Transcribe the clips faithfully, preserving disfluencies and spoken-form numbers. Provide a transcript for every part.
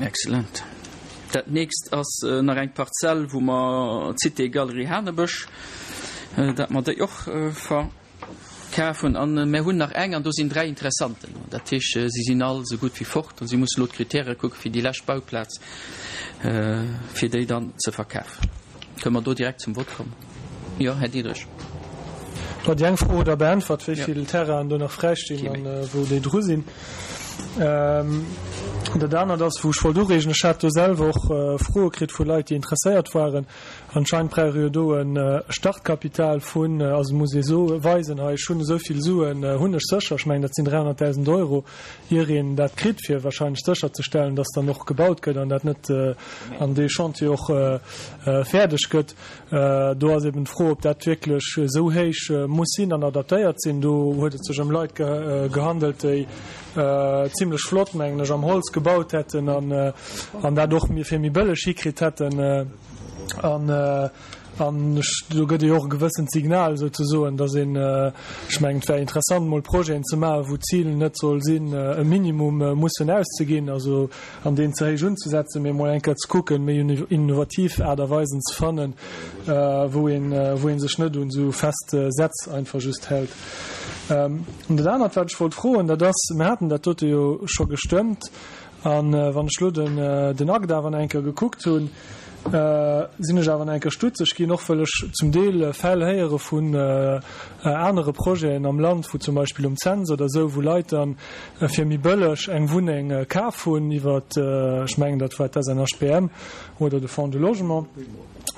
Excellent. Dat nächst ass nach eng Parzell, wou mer d'Cité Galerie Hanebësch, dat mer déi och verkafen. An mir hunn nach eng, an do sinn dräi Interessanten. Dat heescht, si sinn all esou gutt wéi fort an si musse elo d'Kritäre kucke fir déi lescht Bauplaz, fir déi dann ze verkafen. Kënne mer do direkt zum Vott kommen? Jo, Här Diderich. Bon, déi eng Fro hutt Der beäntwert, wéi vill Terrainen do nach fräistinn an wou déi dru sinn. Dat anert ass, wou ech wollt ureegen, ech hat do selwer och Froe kritt vu Leit, déi interesséiert waren. Anscheinend brauch ee jo do e Startkapital vun, also muss ee so weisen, hei ech hunn esou vill Suen, hunn ech sécher, ech mengen dat sinn dräihonnertdausend Euro, ier een dat kritt, fir wahrscheinlech sécherzestellen, dass dann och gebaut gëtt an dat net an dee Chantier och fäerdeg gëtt. Do ass eben d'Fro, ob dat wierklech esou héich muss sinn an adaptéiert sinn. Do huet et sech ëm Leit gehandelt, déi zimlech flott, mengen ech, am Holz gebaut hätten an dat och fir méi bëlleg hikritt hätten. An an ech, do gëtt ee jo och e gewëssent Signal souzesoen, datt een, ech mengen, et wär interessant, emol Projeten ze maachen, wou d'Zil net soll sinn, e Minimum mussen auszeginn, also an deen ze héich unzesetzen, mee emol eng Kéier ze kucken, méi innovativ Aart a Weisen ze fannen, wou een, wou ee sech net un esou fest Sätz einfach just hält. An dat anert, wat ech wollt froen, dat ass, mir haten dat dote jo scho gestëmmt, a wann ech elo den, den Akt awer nach eng Kéier gekuckt hunn, sinn ech awer nach eng Kéier stutzeg ginn, och wëll ech zum Deel Fäll héiere vun anere Projeten am Land, wou zum Beispill um Cents oder esou, wou Leit dann fir méi bëlleg eng Wunneng kaf hunn iwwer, ech mengen dat war d'S N H P M oder de Fonds du Logement,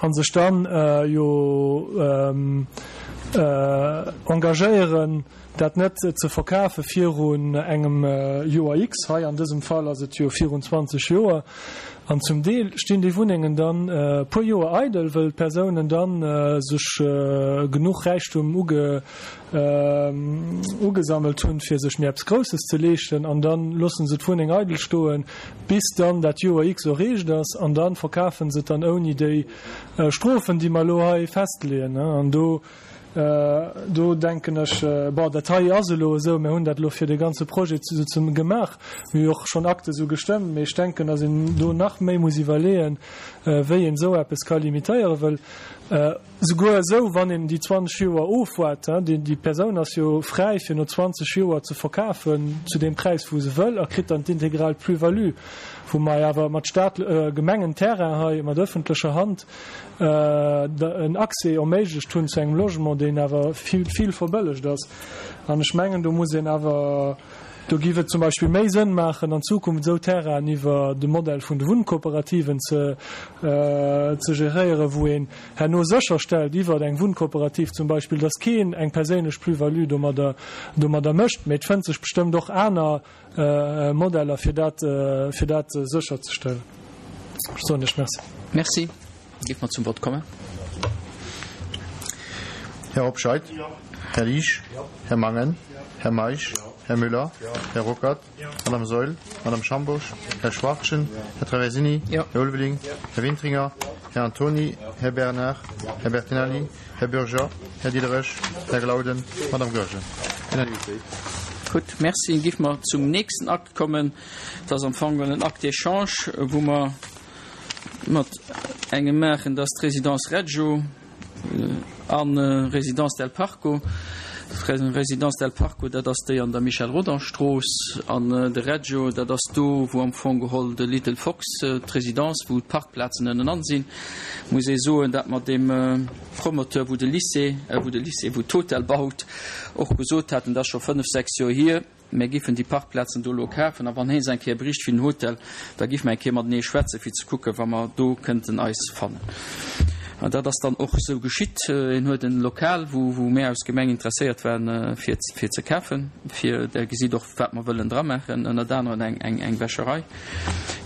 a sech dann jo engagéieren, dat net ze verkafe virun engem Joer X, hei an dësem Fall ass et jo virun zwanzeg Joer, an zum Deel stinn déi Wunnengen dann e puer Joer eidel, wëll d'Persounen dann sech genuch Räichtum ugesammelt hunn, fir sech méi eppes Grousses ze leeschten, an dann loosse se d'Wunneng eidel stoen, bis dann dat Joer X erreecht ass, an dann verkafe se et dann ouni déi Strofen, déi mer elo hei festleeën. An do Do denken ech, bon, dat hei ass elo esou, mir hunn dat elo fir de ganze Projet esou gemaach, mir hu jo och schonn Akte esou gestëmmt, mee ech denken, datt een do nach méi muss iwwerleeën, wéi een esou eppes ka limitéieren, wëll souguer esou, wann een déi zwanzeg Joer ofwaart, déi Persoun ass jo fräi fir no zwanzeg Joer ze verkafen zu deem Präis wou se wëll a kritt dann d'integral Plus-value, wou mer awer mat Staat, Gemengenterrain hei mat öffentlecher Hand en Accès erméiglecht hunn zu engem Logement, deen awer vill, vill verbëllegt ass. An ech mengen, do muss een awer, do géif et zum Beispill méi Sënn maachen, an Zukunft esou Terrainen iwwer de Modell vun de Wunnkooperativen ze, ze geréieren, wou een herno sécherstellt iwwer eng Wunnkooperativ zum Beispill, dass keen eng perséinlech Plus-value domadder, domadder mécht. Mee et fënnt sech bestëmmt och aner Modeller, fir dat, fir dat sécherzestellen. Ech soen lech Merci. Merci. Géif mer zum Vott kommen. Här Hobscheit? Här Liesch? Här Mangen? Här Meisch? Här Müller? Här Ruckert? Madame Saeul? Madame Schambourg? Här Schwachtgen? Här Traversini? Här Ulveling? Här Wintringer? Här Antoni? Här Bernard? Här Bertinelli? Här Bürger? Här Diderich? Här Glauden? Madame Goergen? Unanimitéit. Gutt, merci. Géif mer zum nächsten Akt kommen. Dat ass am Fong en Acte d'échange, wou mer mat engem maachen, dat ass d'Résidence Reggio an Résidence del Parco. D'Résidence del Parco, dat ass déi an der Michel Rodange Strooss, an de Reggio, dat ass do, wou am Fong geholl de Little Fox, d'Résidence, wou d'Parkplazen ënnenan sinn. Muss ee soen, dat mer deem Promoteur, wou de Lycée, wou de Lycée, wou d'Hotel baut, och gesot haten, dat ass scho fënnef, sechs Joer hier, Mär giffen déi Parkplazen do elo kafen a wann heen se eng Kéier bericht fir den Hotel, da giffe mer eng Kéier matenee schwätzen, fir ze kucken, wa mer do kënnten eis fannen. An dat ass dann och esou geschitt. Hien huet en Lokal, wou, wou mär aus Gemeng interesséiert waren, fir, fir ze kafen. Fir, Der gesitt och, wat mer wëllen dramaachen, ënnert aneren eng, eng, eng Wäscherei.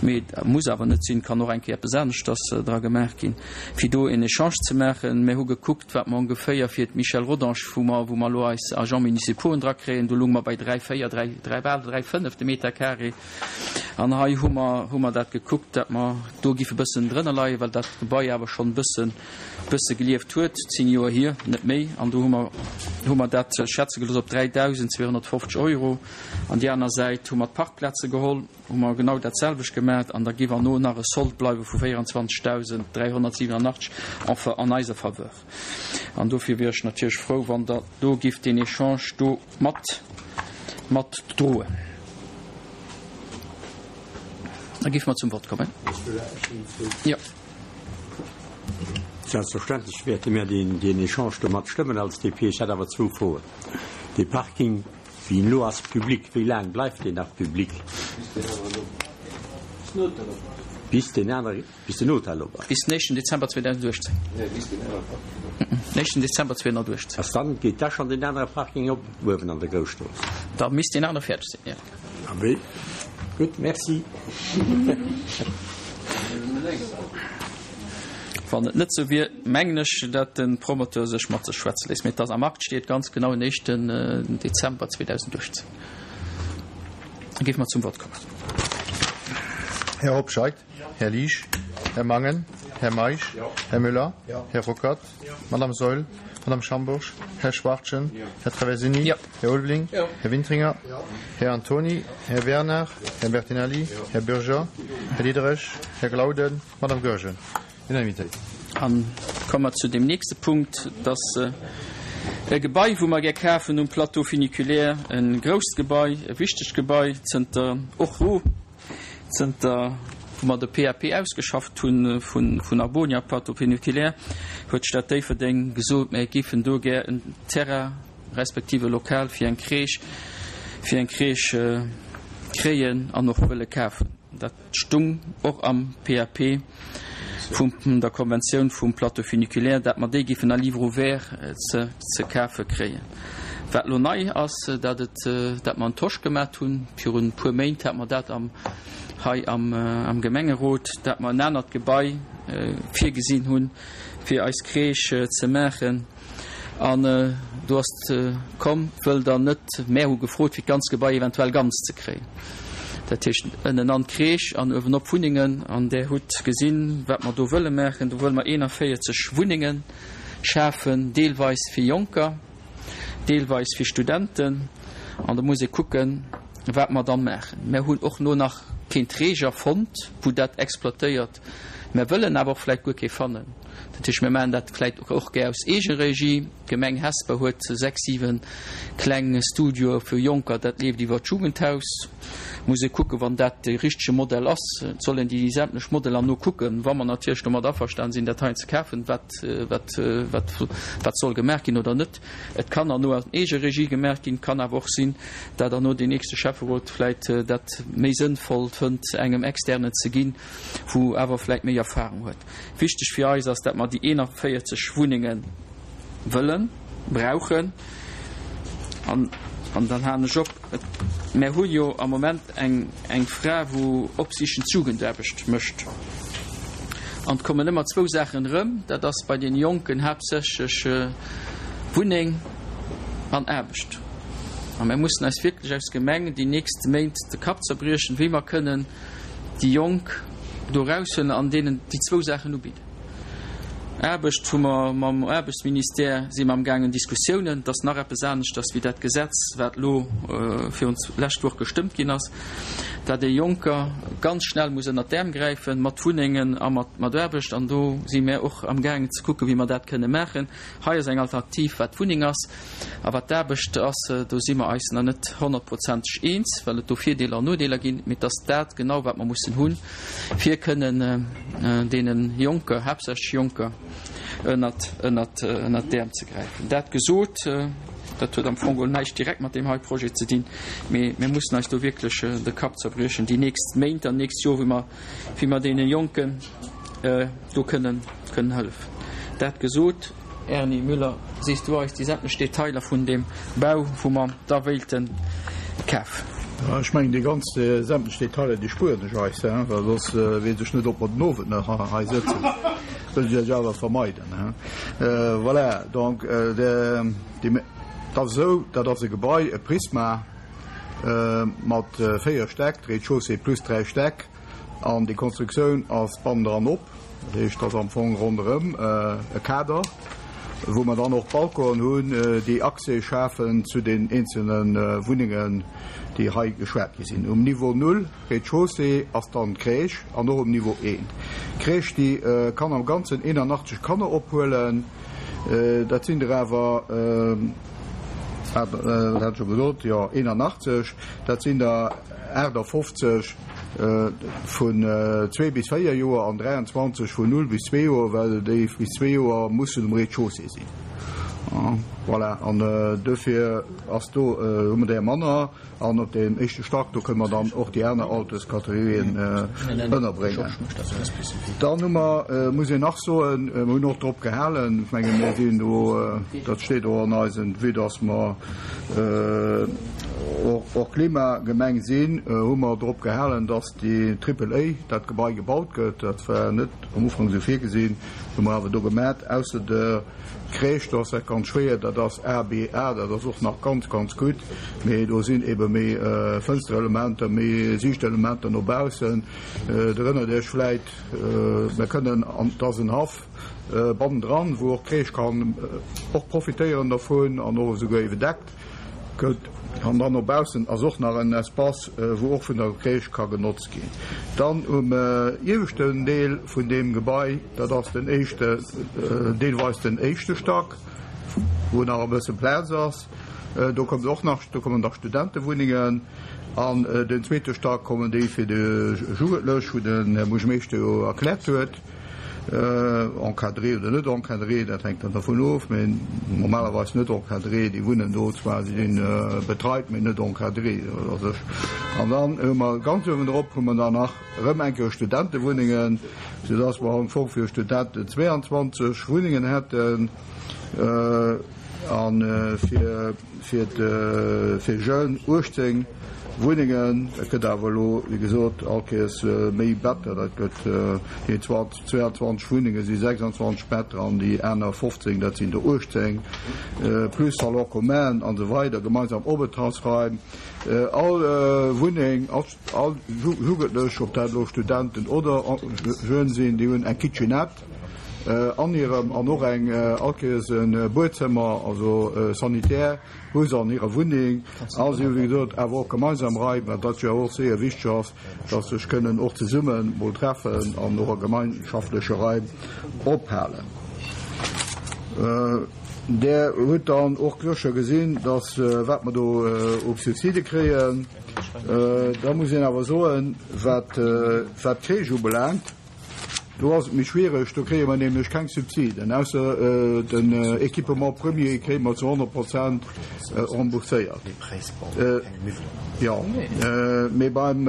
Mee muss awer net sinn, kann och eng Kéier eppes aneschters dra gemaach ginn, fir do en Echange ze maachen. Mär hu gekuckt, wat mer ongeféier fir d'Michel Rodange, wou mer, wou mer elo eis Agents municipauxen drakréien, do lounge mer bei dräi véier, dräi, dräi, bal dräi fënnef de Meter carré. An hei hu mer, hu mer dat gekuckt, dat mer do giffe bëssen drënner leien, well dat Gebai awer schonn bëssen, bësse gelieft huet, zéng Joer hier, net méi. An do hu mer, hu mer dat schätze gelooss op dräidausend zweehonnertfofzeg Euro. An déi aner Säit hu mer d'Parkplaze geholl, hu mer genau dat selwecht gemaach an da giff erno nach e Sold bleiwe vu véierundzwanzegdausend dräihonnertsiwenunachtzeg enfin an eiser Faveur. An dofir wier ech natierlech frou, wann Der do gifft deen Echange do mat, mat droen. Da giffe mer zum Wort kommen. Jo. Selbstverständlech wäerte mir deen, deen Echange do mat stëmmen als D P. Ech hätt awer zwou Froen. Dee Parking, wéi en elo ass, public, wéi laang bleift deen nach public? Bis deen anere, bis den Hotel op ass? Bis den éischten Dezember zweedausenduechtzéng. Éischten Dezember zweedausenduechtzéng. Ass dann, geet da schonn deen anere Parking op, uewen an der Grousstrooss? Da misst deen anere fäerdeg sinn, jo. Abee. Gutt, merci. Wann et net sou wier, mengen ech, dat de Promoteur sech mat sech schwätze léisst. Mee et ass am Akt steet ganz genau den éischten Dezember zweedausenduechtzéng. Da géife mer zum Vott kommen. Här Hobscheit? Här Liesch? Här Mangen? Här Meisch? Här Müller? Här Ruckert? Madame Saeul? Madame Schambourg? Här Schwachtgen? Här Traversini? Här Ulveling? Här Wintringer? Här Antoni? Här Werner? Här Bertinelli? Här Bürger? Här Diderich? Här Glauden? Madame Goergen? Unanimitéit. An komme mer zu deem nächste Punkt, dass e Gebai, wou mer gär kafen um Plateau funiculaire, e grousst Gebai, e wichtegt Gebai, zënter och elo, zënter wou mer de P A P ausgeschafft hu vun Arbonia Plateau funiculaire, huet d'Stad Déifferdeng gesot, mir géifen do gär en Terrain respektive Lokal fir eng Crèche, fir eng Crèche kréien an och wëlle kafen. Dat stung och am P A P vun der Konventioun vum Plateau funiculaire, dat mer déi géifen à livre ouvert ze ze kafe kréien. Wat elo nei ass, dat et dat mer en Tosch gemat hunn, virun e puer Méint hat mer dat am hei am am Gemengerot, dat mer en anert Gebai virgesinn hunn, fir eis Crèche ze maachen. An do ass komm, wëllt Der net, mär hu gefrot, fir d'ganz Gebai eventuell ganz ze kréien. Dat heescht ënnen an d'Crèche an uewenop Wunnengen. An Der hutt gesinn, wat mer do wëlle maachen. Do wëlle mer eenanvéierzeg Wunnenge schafen, deelweis fir Jonker, deelweis fir Studenten. An do muss ee kucken, wat mer dann maachen. Mär hunn och no nach keen Träger fonnt, wou dat exploitéiert. Mär wëllen awer och vläicht guer kee fannen. Dat heescht, mir maachen dat vläicht och gär aus Eegeregie. D'Gemeng Hesper huet sechs, siwe kleng Studioe fir Jonker, dat leeft iwwer d'Jugendhaus. Muss ee kucken, wann dat de richtege Modell ass. Et soll een déi sämtlech Modeller nokucken, wa mer natierlech domat averstanen sinn, dat heien ze kafen, wat, wat, wat, wat soll gemaach ginn oder net. Et kann herno an Eegeregie gemaach ginn, kann awer och sinn, dat herno deen nächste Schäfferot vläicht dat méi sënnvoll fënnt, engem Externen ze ginn, wou awer vläicht méi Erfahrung huet. Wichteg fir eis ass, dat mer déi eenanvéierzeg Wunnenge wëllen, brauchen. An, an dann halen ech op. Mär hu jo am Moment eng, eng Fra, wou opsichend Jugendaarbecht mécht. An et kommen ëmmer zwou Saachen erëm, dat ass bei deene Jonken haaptsächlech Wunneng an Aarbecht. A mär mussen eis wierklech als Gemeng déi nächst Méint de Kapp zerbriechen, wéi mer kënnen déi Jonk do eraushuelen an deenen déi zwou Saachen ubidden. Aarbecht hu mer mam Aarbechtsministère, si mer amgaangen Diskussiounen, et ass nach eppes aneschters wéi dat Gesetz, wat elo virun d'lescht Woch gestëmmt ginn ass, dat ee Jonker ganz schnell muss ënnert d'Äerm gräifen mat Wunnengen a mat mat Aarbecht. An do si mär och amgaangen ze kucken, wéi mer dat kënne maachen. Hei ass eng Alternativ, wat d'Wunneng ass. A wat d'Aarbecht ass, do si mer eis nach net honnertprozenteg eens, well et do Virdeeler an Nodeeler ginn. Mee et ass dat genau, wat mer mussen hunn, fir kënnen deene Jonker, haaptsächlech Jonker, ënnert, ënnert, ënnert d'Äerm ze gräifen. Dat gesot, dat huet am Fong geholl näischt direkt mat deem hei Projet ze dinn, mee mir mussen eis do wierklech de Kapp zerbriechen déi nächst Méint an nächst Joer, wéi mer, wéi mer deene Jonken do kënnen, kënnen hëllefen. Dat gesot, Erny Müller, sees du eis déi sämtlech Detailer vun deem Bau, wou mer da wéilte kafen? Ech mengen, déi ganz sämtlech Detailer, déi spueren ech eis, well soss weess ech net, ob mer den Owend nach hei sëtzen. Wëll ech iech awer vermeiden. Voilà, donc, dat ass esou, dat ass e Gebai, e Prisma, mat véier Stäck, Rez-de-chaussée plus dräi Stäck, an déi Konstruktioun ass bannendran op, dat heescht, et ass am Fong ronderëm e Kader, wou mer dann och Balconen hunn, déi Accès schafen zu den eenzelne Wunnengen, déi hei geschwat gi sinn. Um Niveau null, Rez-de-chaussée, ass dann d'Crèche an och um Niveau eent. D'Crèche, déi kann am Ganzen eenanachtzeg Kanner ophuelen. Dat sinn der awer, wat hat ech scho gesot, jo, eenanachtzeg, dat sinn der aachtafofzeg vun zwee bis véier Joer an dräianzwanzeg vun null bis zwee Joer, well déi bis zwee Joer mussen um Rez-de-chaussée sinn. Voilà, an dofir ass do, hu mer där manner. An op deem éischte Stack, do kënne mer dann och déi aner Alterskategorien ënnerbréngen. Dann hu mer, muss een nach soen, mer hunn och drop gehalen, ech menge mir sinn do, dat steet och an eisen, vue dass mer och Klimagemeng sinn, hu mer drop gehalen, dass déi Triple A, dat Gebai gebaut gëtt. Dat war net am Ufank esou virgesinn, hu mer awer do gemat, ausser der Crèche, do ass dat ganz schwéier, dat ass A B A, dat ass och nach ganz, ganz gutt, mee do sinn ebe méi Fënsterelementer, méi Siichtelementer no baussen. Der erënnert Iech vläit, mir kënnen an, et ass en Haff bannendran, wou och d'Crèche kann och profitéieren dervun an och esouguer iwwerdeckt gëtt. An dann no baussen ass och nach en Espace, wou och vun der Crèche ka genotzt ginn. Dann um ieweschten Deel vun deem Gebai, dat ass den éischte, deelweis den éischte Stack, wou nach e bësse Plaz ass, do kommt och nach, do kommen nach Studentewunnengen. An den zweete Stack kommen déi fir de Jugendlech, wou den Här Buergermeeschter jo erkläert huet. Encadré oder net encadré, dat hänkt dann dervun of, mee normalerweis net encadré. Déi wunnen do zwar, si sinn betreit, mee net encadré a sech. An dann hu mer ganz uewendrop hu mer dann nach erëm eng Kéier Studentewunnengen, soudass mer am Fong fir Studenten zweiundzwanzeg Wunnengen hätten a fir fir fir Jeunes uechtzéng Wunnengen. Et gëtt awer elo, wéi gesot, all Kéiers méi Better. Dat gëtt déi zweiundzwanzeg Wunnenge si sechsundzwanzeg Better an déi aner fofzéng, dat sinn der uechtzéng, plus Salon commun an esou weider, gemeinsam Openthaltsraim. All Wunneng, all Jugendlech, ob dat elo Studenten oder Jeunes sinn, déi hunn eng Kitchenette an hirem an och eng all Kéiers e Buedzëmmer, also sanitär hu se an hirer Wunneng. A si hu wéi gesot awer och gemeinsam Raim, wat dat jo och séier wichteg ass, dass sech kënnen och zesumme mol treffen an och a gemeinschaftleche Raim ophalen. Där hutt dann och sécher gesinn, dass wat mer do u Subside kréien. Da muss een awer soen, wat wat d'Crèche ubelaangt, do ass et méi schwiereg, do kréie mer nämlech keng Subsiden, ausser den Équipement premier kréie mer zu honnert Prozent rembourséiert. Jo, mee beim,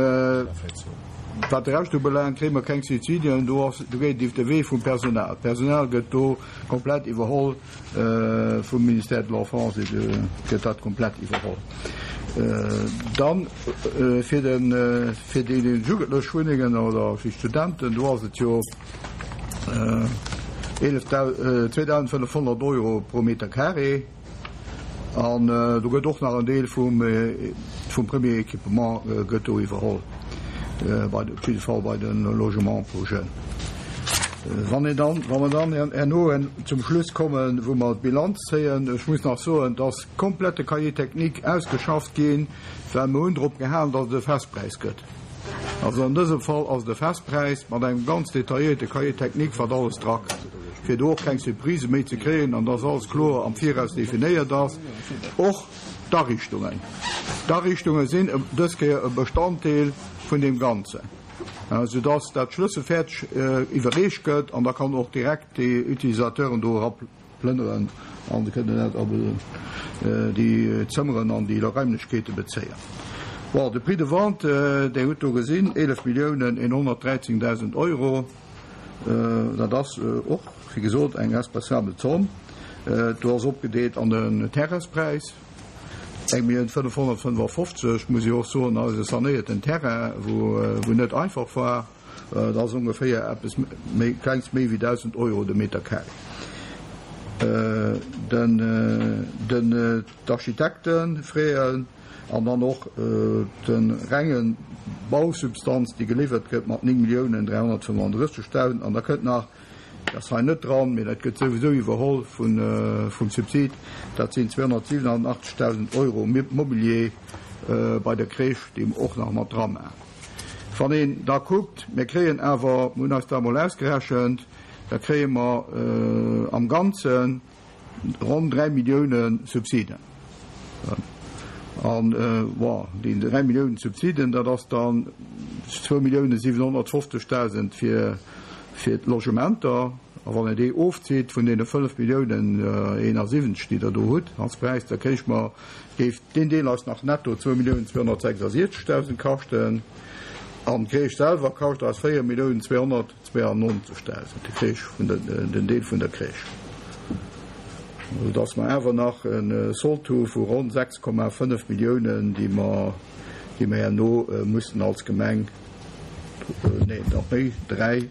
wat de Rescht ubelaangt, kréie mer keng Subsidien, do ass, do geet et iwwer de Wee vum Personal. D'Personal gëtt do komplett iwwerholl vum Ministère de l'Enfance et de, gëtt dat komplett iwwerholl. Dann fir den, fir déi jugendlech Wunnengen oder fir Studenten, do ass et jo zweedausendfënnefhonnert Euro pro Meter carré. An do gëtt och nach en Deel vum, vum Premier Équipement gëtt do iwwerholl, bei, op jidde Fall bei de Logements pour jeunes. Wann een dann, wa mer dann herno zum Schluss kommen, wou mer d'Bilanz zéien, ech muss nach soen, dass komplett de Cahier technique ausgeschafft ginn, well mer hunn drop gehalen, dass et e Festpräis gëtt. Also an dësem Fall ass et e Festpräis mat engem ganz detailléierte Cahier technique, wat alles dra kënnt, fir do och keng Surprise méi ze kréien an dass alles kloer am Viraus definéiert ass. Och d'Ariichtungen. D'Ariichtunge sinn dës Kéier e Bestanddeel vun deem Ganzen, soudass dat schlësselfäerdeg iwwerreecht gëtt an da kann och direkt déi Utilisateuren do eraplënneren an kënnen dat op déi Zëmmeren an déi Raimlechkeete bezéien. Bon, de Prix de vente, Dir hutt do gesinn, eelef Milliounen eenhonnertdräizéngdausend Euro. Dat ass och, wéi gesot, eng respektabel Zomm. Do ass opgedeelt an den Terrainspräis, eng Millioun fënnefhonnertfënnefafofzeg, muss ech och soen, ass e sanéierten Terrain, wou, wou net einfach war. Dat ass ongeféier eppes méi, klengs méi wéi dausend Euro de Meter carré. Den, den, d'Architekte freeën An dann och de renge Bausubstanz, déi geliwwert gëtt, mat néng Milliounen dräihonnertfënnefandrëssegdausend. An da kënnt nach, dat ass hei net dran, mee dat gëtt souwisou iwwerholl vum Subsid, dat sinn zweehonnertsiwenachtzegdausend Euro Mobilier bei der Crèche, déi mer och nach mat dra maachen. Wann een da kuckt, mir kréien awer, mir hunn eis dat emol ausgerechent, da kréie mer am Ganze ronn dräi Millioune Subsiden. An, bon, déi dräi Milliounen Subsiden, dat ass dann zwou Millioune siwenhonnertfofzegdausend fir, fir d'Logementer. A wann een déi ofzitt vun deene fënnef Milliounen eenasiwwenzeg, déi Der do hutt als Präis, da kréich mer, géif deen Deel eis nach netto zwou Milliounen zweehonnertsechsasiechzegdausend kaschten. An d'Crèche selwer kascht eis véier Milliounen zweehonnertzweiannonzegdausend, déi Crèche vun der, den Deel vun der Crèche. Esou dass mer awer nach e Sold hu vu ronn sechs Komma fënnef Milliounen, déi mer, déi mer herno mussen als Gemeng, nee, nach méi, dräi,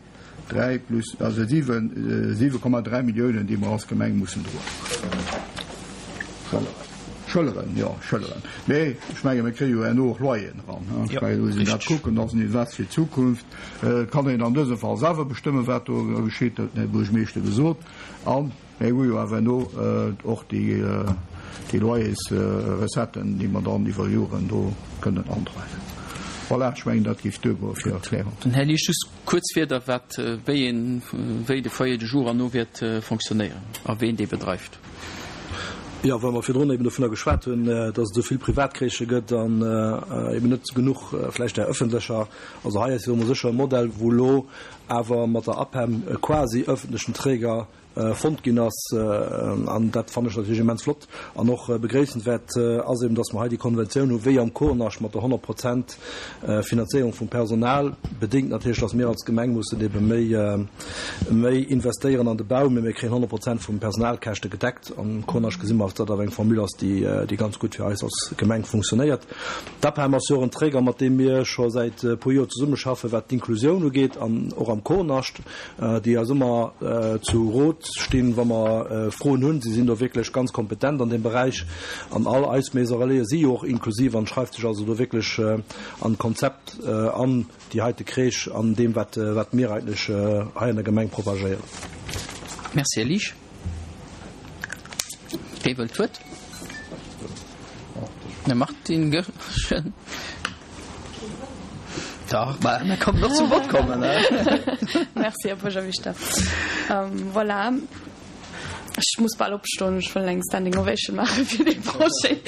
dräi plus, also siwen, siwe Komma dräi Milliounen, déi mer als Gemeng mussen droen. Voilà. Schëlleren, jo, schëlleren. Mee ech menge mir kréie jo herno och Loyeren eran. Ech menge do muss een dat kucken, dat ass en Invest fir d'Zukunft. Et kann een an dësem Fall selwer bestëmmen, wat do geschitt, dat huet den Här Buergermeeschter gesot. A mir hu jo awer herno och déi, déi Loyersrecetten, déi mer dann iwwer Joren do kënnen andreiwen. Voilà, ech mengen, dat géif duergoe fir Erklärung. Den Här Liesch, just kuerz Wierder, wat, wéi een, wéi de Foyer de jour herno wäert fonctionnéieren a ween dee bedreift. Jo, well mer virdrun eben dovunner geschwat hunn, dass et esou vill Privatkréische gëtt an eben net genuch vläicht där öffentlecher. Also hei ass jo emol sécher e Modell, wou elo awer mat der APEM e quasi öffentlechen Träger fonnt ginn ass. An dat fannen ech natierlech immens flott. An och begréissenswäert ass eben, dass mer hei déi Konventioun hu wéi am Konasch mat der honnert Prozent Finanzéierung vum Personal. Bedéngt natierlech, dass mir als Gemeng mussen ebe méi, méi investéieren an de Bau, mee mir kréien honnert Prozent vum Personalkäschte gedeckt. Am Konasch gesi mer, dass dat awer eng Formule ass, déi, déi ganz gutt fir eis als Gemeng funktionéiert. D'APEM ass jo och en Träger, mat deem mir scho säit e puer Joer zesummeschaffen, wat d'Inklusioun ugeet an och am Konasch, déi eis ëmmer zu Rot stinn, wa mer Froen hunn. Si sinn do wierklech ganz kompetent an deem Beräich an all eis Maisons Relais si jo och inklusiv an schreift sech also do wierklech an d'Konzept an, déi heite Crèche an deem, wat, wat mir eigentlech hei an der Gemeng propagéieren. Merci, Här Liesch. Wee wëllt d'Wuert? Här Martin Goergen. Dach, bah, mir kommen noch zum Wort kommen. Ne? Merci, Här Buergermeeschter. Ähm, voilà. Ech muss bal opstoen, ech wëll eng Standing Ovation maache fir dee Projet.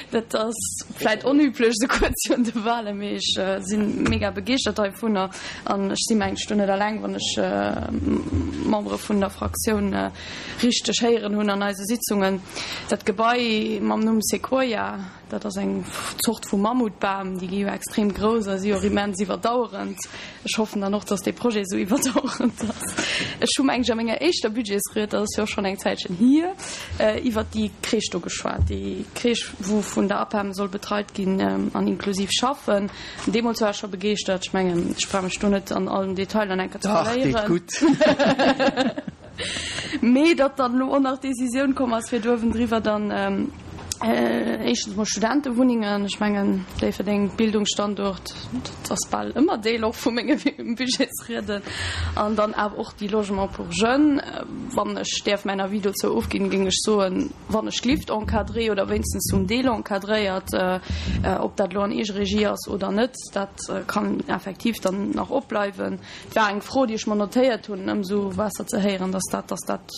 Dat ass vläit onüblech esou kuerz virun de Wahlen, mee ech äh, si mega begeeschtert heivunner an ech si mengen ech do net alleng, wann ech äh, Membere vun der Fraktioun äh, richteg héieren hunn an eise Sitzungen. Dat Gebai mam Numm Sequoia, dat ass eng Zort vu Mammutbam, déi gi jo extrem grouss a si och immens iwwerdauerend. Ech hoffen dann och, dass dee Projet esou iwwerdauerend ass. Ech hu mengen ech a menger éischter Budgetsried, dat ass jo och schonn eng Zäitchen hier, iwwert déi Crèche do geschwat, déi Crèche, wou vun der APEM soll betreit ginn an inklusiv schaffen. Deemools war ech scho begeeschtert. Ech mengen, ech brauch mech do net an allen Detailer enker ze Dach, deet verléieren. gutt. Mee datt dann elo och nach d'Decisioun komm ass, fir duewendriwwer dann éischtens mol Studentewunnengen, ech mengen Déifferdeng, Bildungsstanduert, dat ass bal ëmmer Deel och vu menge Budgetsrieden, an dann awer och déi Logements pour jeunes. Wann ech däerf mäin Avis dozou ofginn, géing ech soen, wann ech Lift encadré oder wéinstens zum Deel encadréiert, ob dat elo an Eegeregie ass oder net, dat kann effektiv dann nach opbleiwen. Et war eng Fro, déi ech mer notéiert hunn, ëmsou besser ze héieren, dass dat, dass dat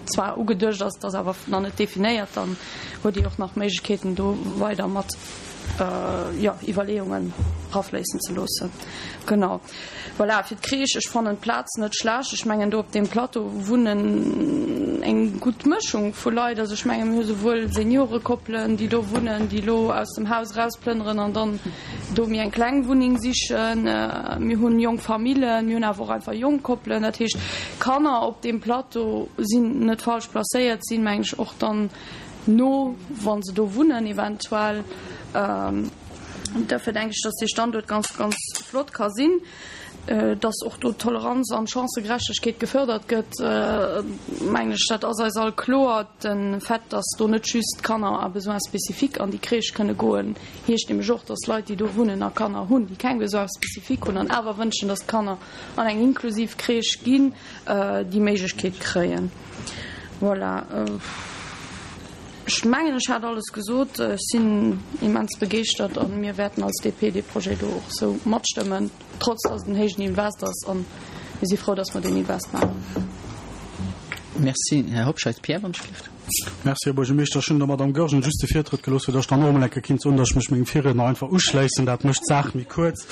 zwar ugeduecht ass, dass awer nach net definéiert, dann huet Dir och nach Méiglechkeeten, do weider mat, jo, Iwwerleeungen erafléissen ze loossen. Genau. Voilà, fir d'Crèche, ech fannen d'Plaz net schlecht. Ech mengen, do op deem Plateau wunnen eng gutt Mëschung vu Leit. Also ech mengen, mir hu souwuel Seniorekoppelen, déi do wunnen, déi elo aus dem Haus erausplënneren an dann do méi eng kleng Wunneng sichen. Mir hunn jonk Famillen, mir hunn awer och einfach jonk Koppelen. Dat heescht, Kanner op deem Plateau sinn net falsch placéiert, sinn, mengen ech, och dann no, wa se do wunnen eventuell. Dofir denke ech, dass dee Standuert ganz, ganz flott ka sinn. Dass och do d'Toleranz an d'Chancëgerechtegkeet gefördert gëtt, mengen ech, dat ass eis all kloer. De Fait, dass do net just Kanner à besoins spécifiques an déi Crèche kënne goen, heescht nämlech och, dass Leit, déi do wunnen a Kanner hunn, déi keng Besoins spécifiques hunn an awer wënschen, dass d'Kanner an eng inklusiv Crèche ginn, déi Méiglechkeet kréien. Voilà. Ech mengen, ech hat alles gesot. Ech sinn immens begeeschtert a mir wäerten als D P dee Projet do och esou matstëmmen, trotz dass et en héijen Invest ass. A mir si frou, dass mer deen Invest maachen. Merci, Här Hobscheit. Pierre, wann ech gelift. Merci, Här Buergermeeschter. Ech hunn der Madamm Goergen just de Virtrëtt gelooss, fir datt ech dann och emol eng Kéier kinnt soen, datt ech mech mengem Virriedner einfach uschléissen. Dat mécht d'Saach méi kuerz.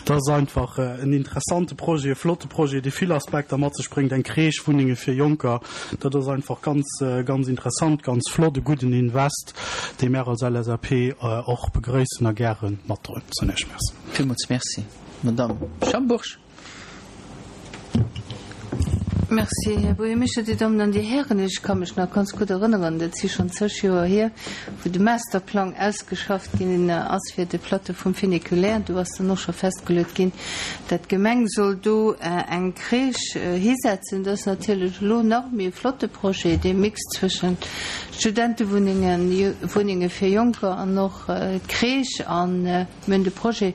Dat ass einfach en interessante Projet, e flotte Projet, dee vill Aspekter mat sech bréngt. Eng Crèche, Wunnenge fir Jonker, dat ass einfach ganz, ganz interessant, ganz flott, e gudden Invest, dee mär als L S A P och begrëissen a gäre matdroen. Soen ech Merci. Villmools merci. Madamm Schambourg. Merci, Här Buergermeeschter, Dir Dammen an Dir Hären. Ech ka mech nach ganz gutt erënneren, dat si schonn zeg Joer hier, wou de Masterplang ausgeschafft ginn ass fir de Plateau vum Funiculaire. Do ass dann och scho festgeluet ginn, dat d'Gemeng soll do eng Crèche hisetzen. Dat ass natierlech elo nach méi e flotte Projet, dee Mix zwëschent Studentewunnengen, Wunnenge fir Jonker an och d'Crèche. An mir hunn de Projet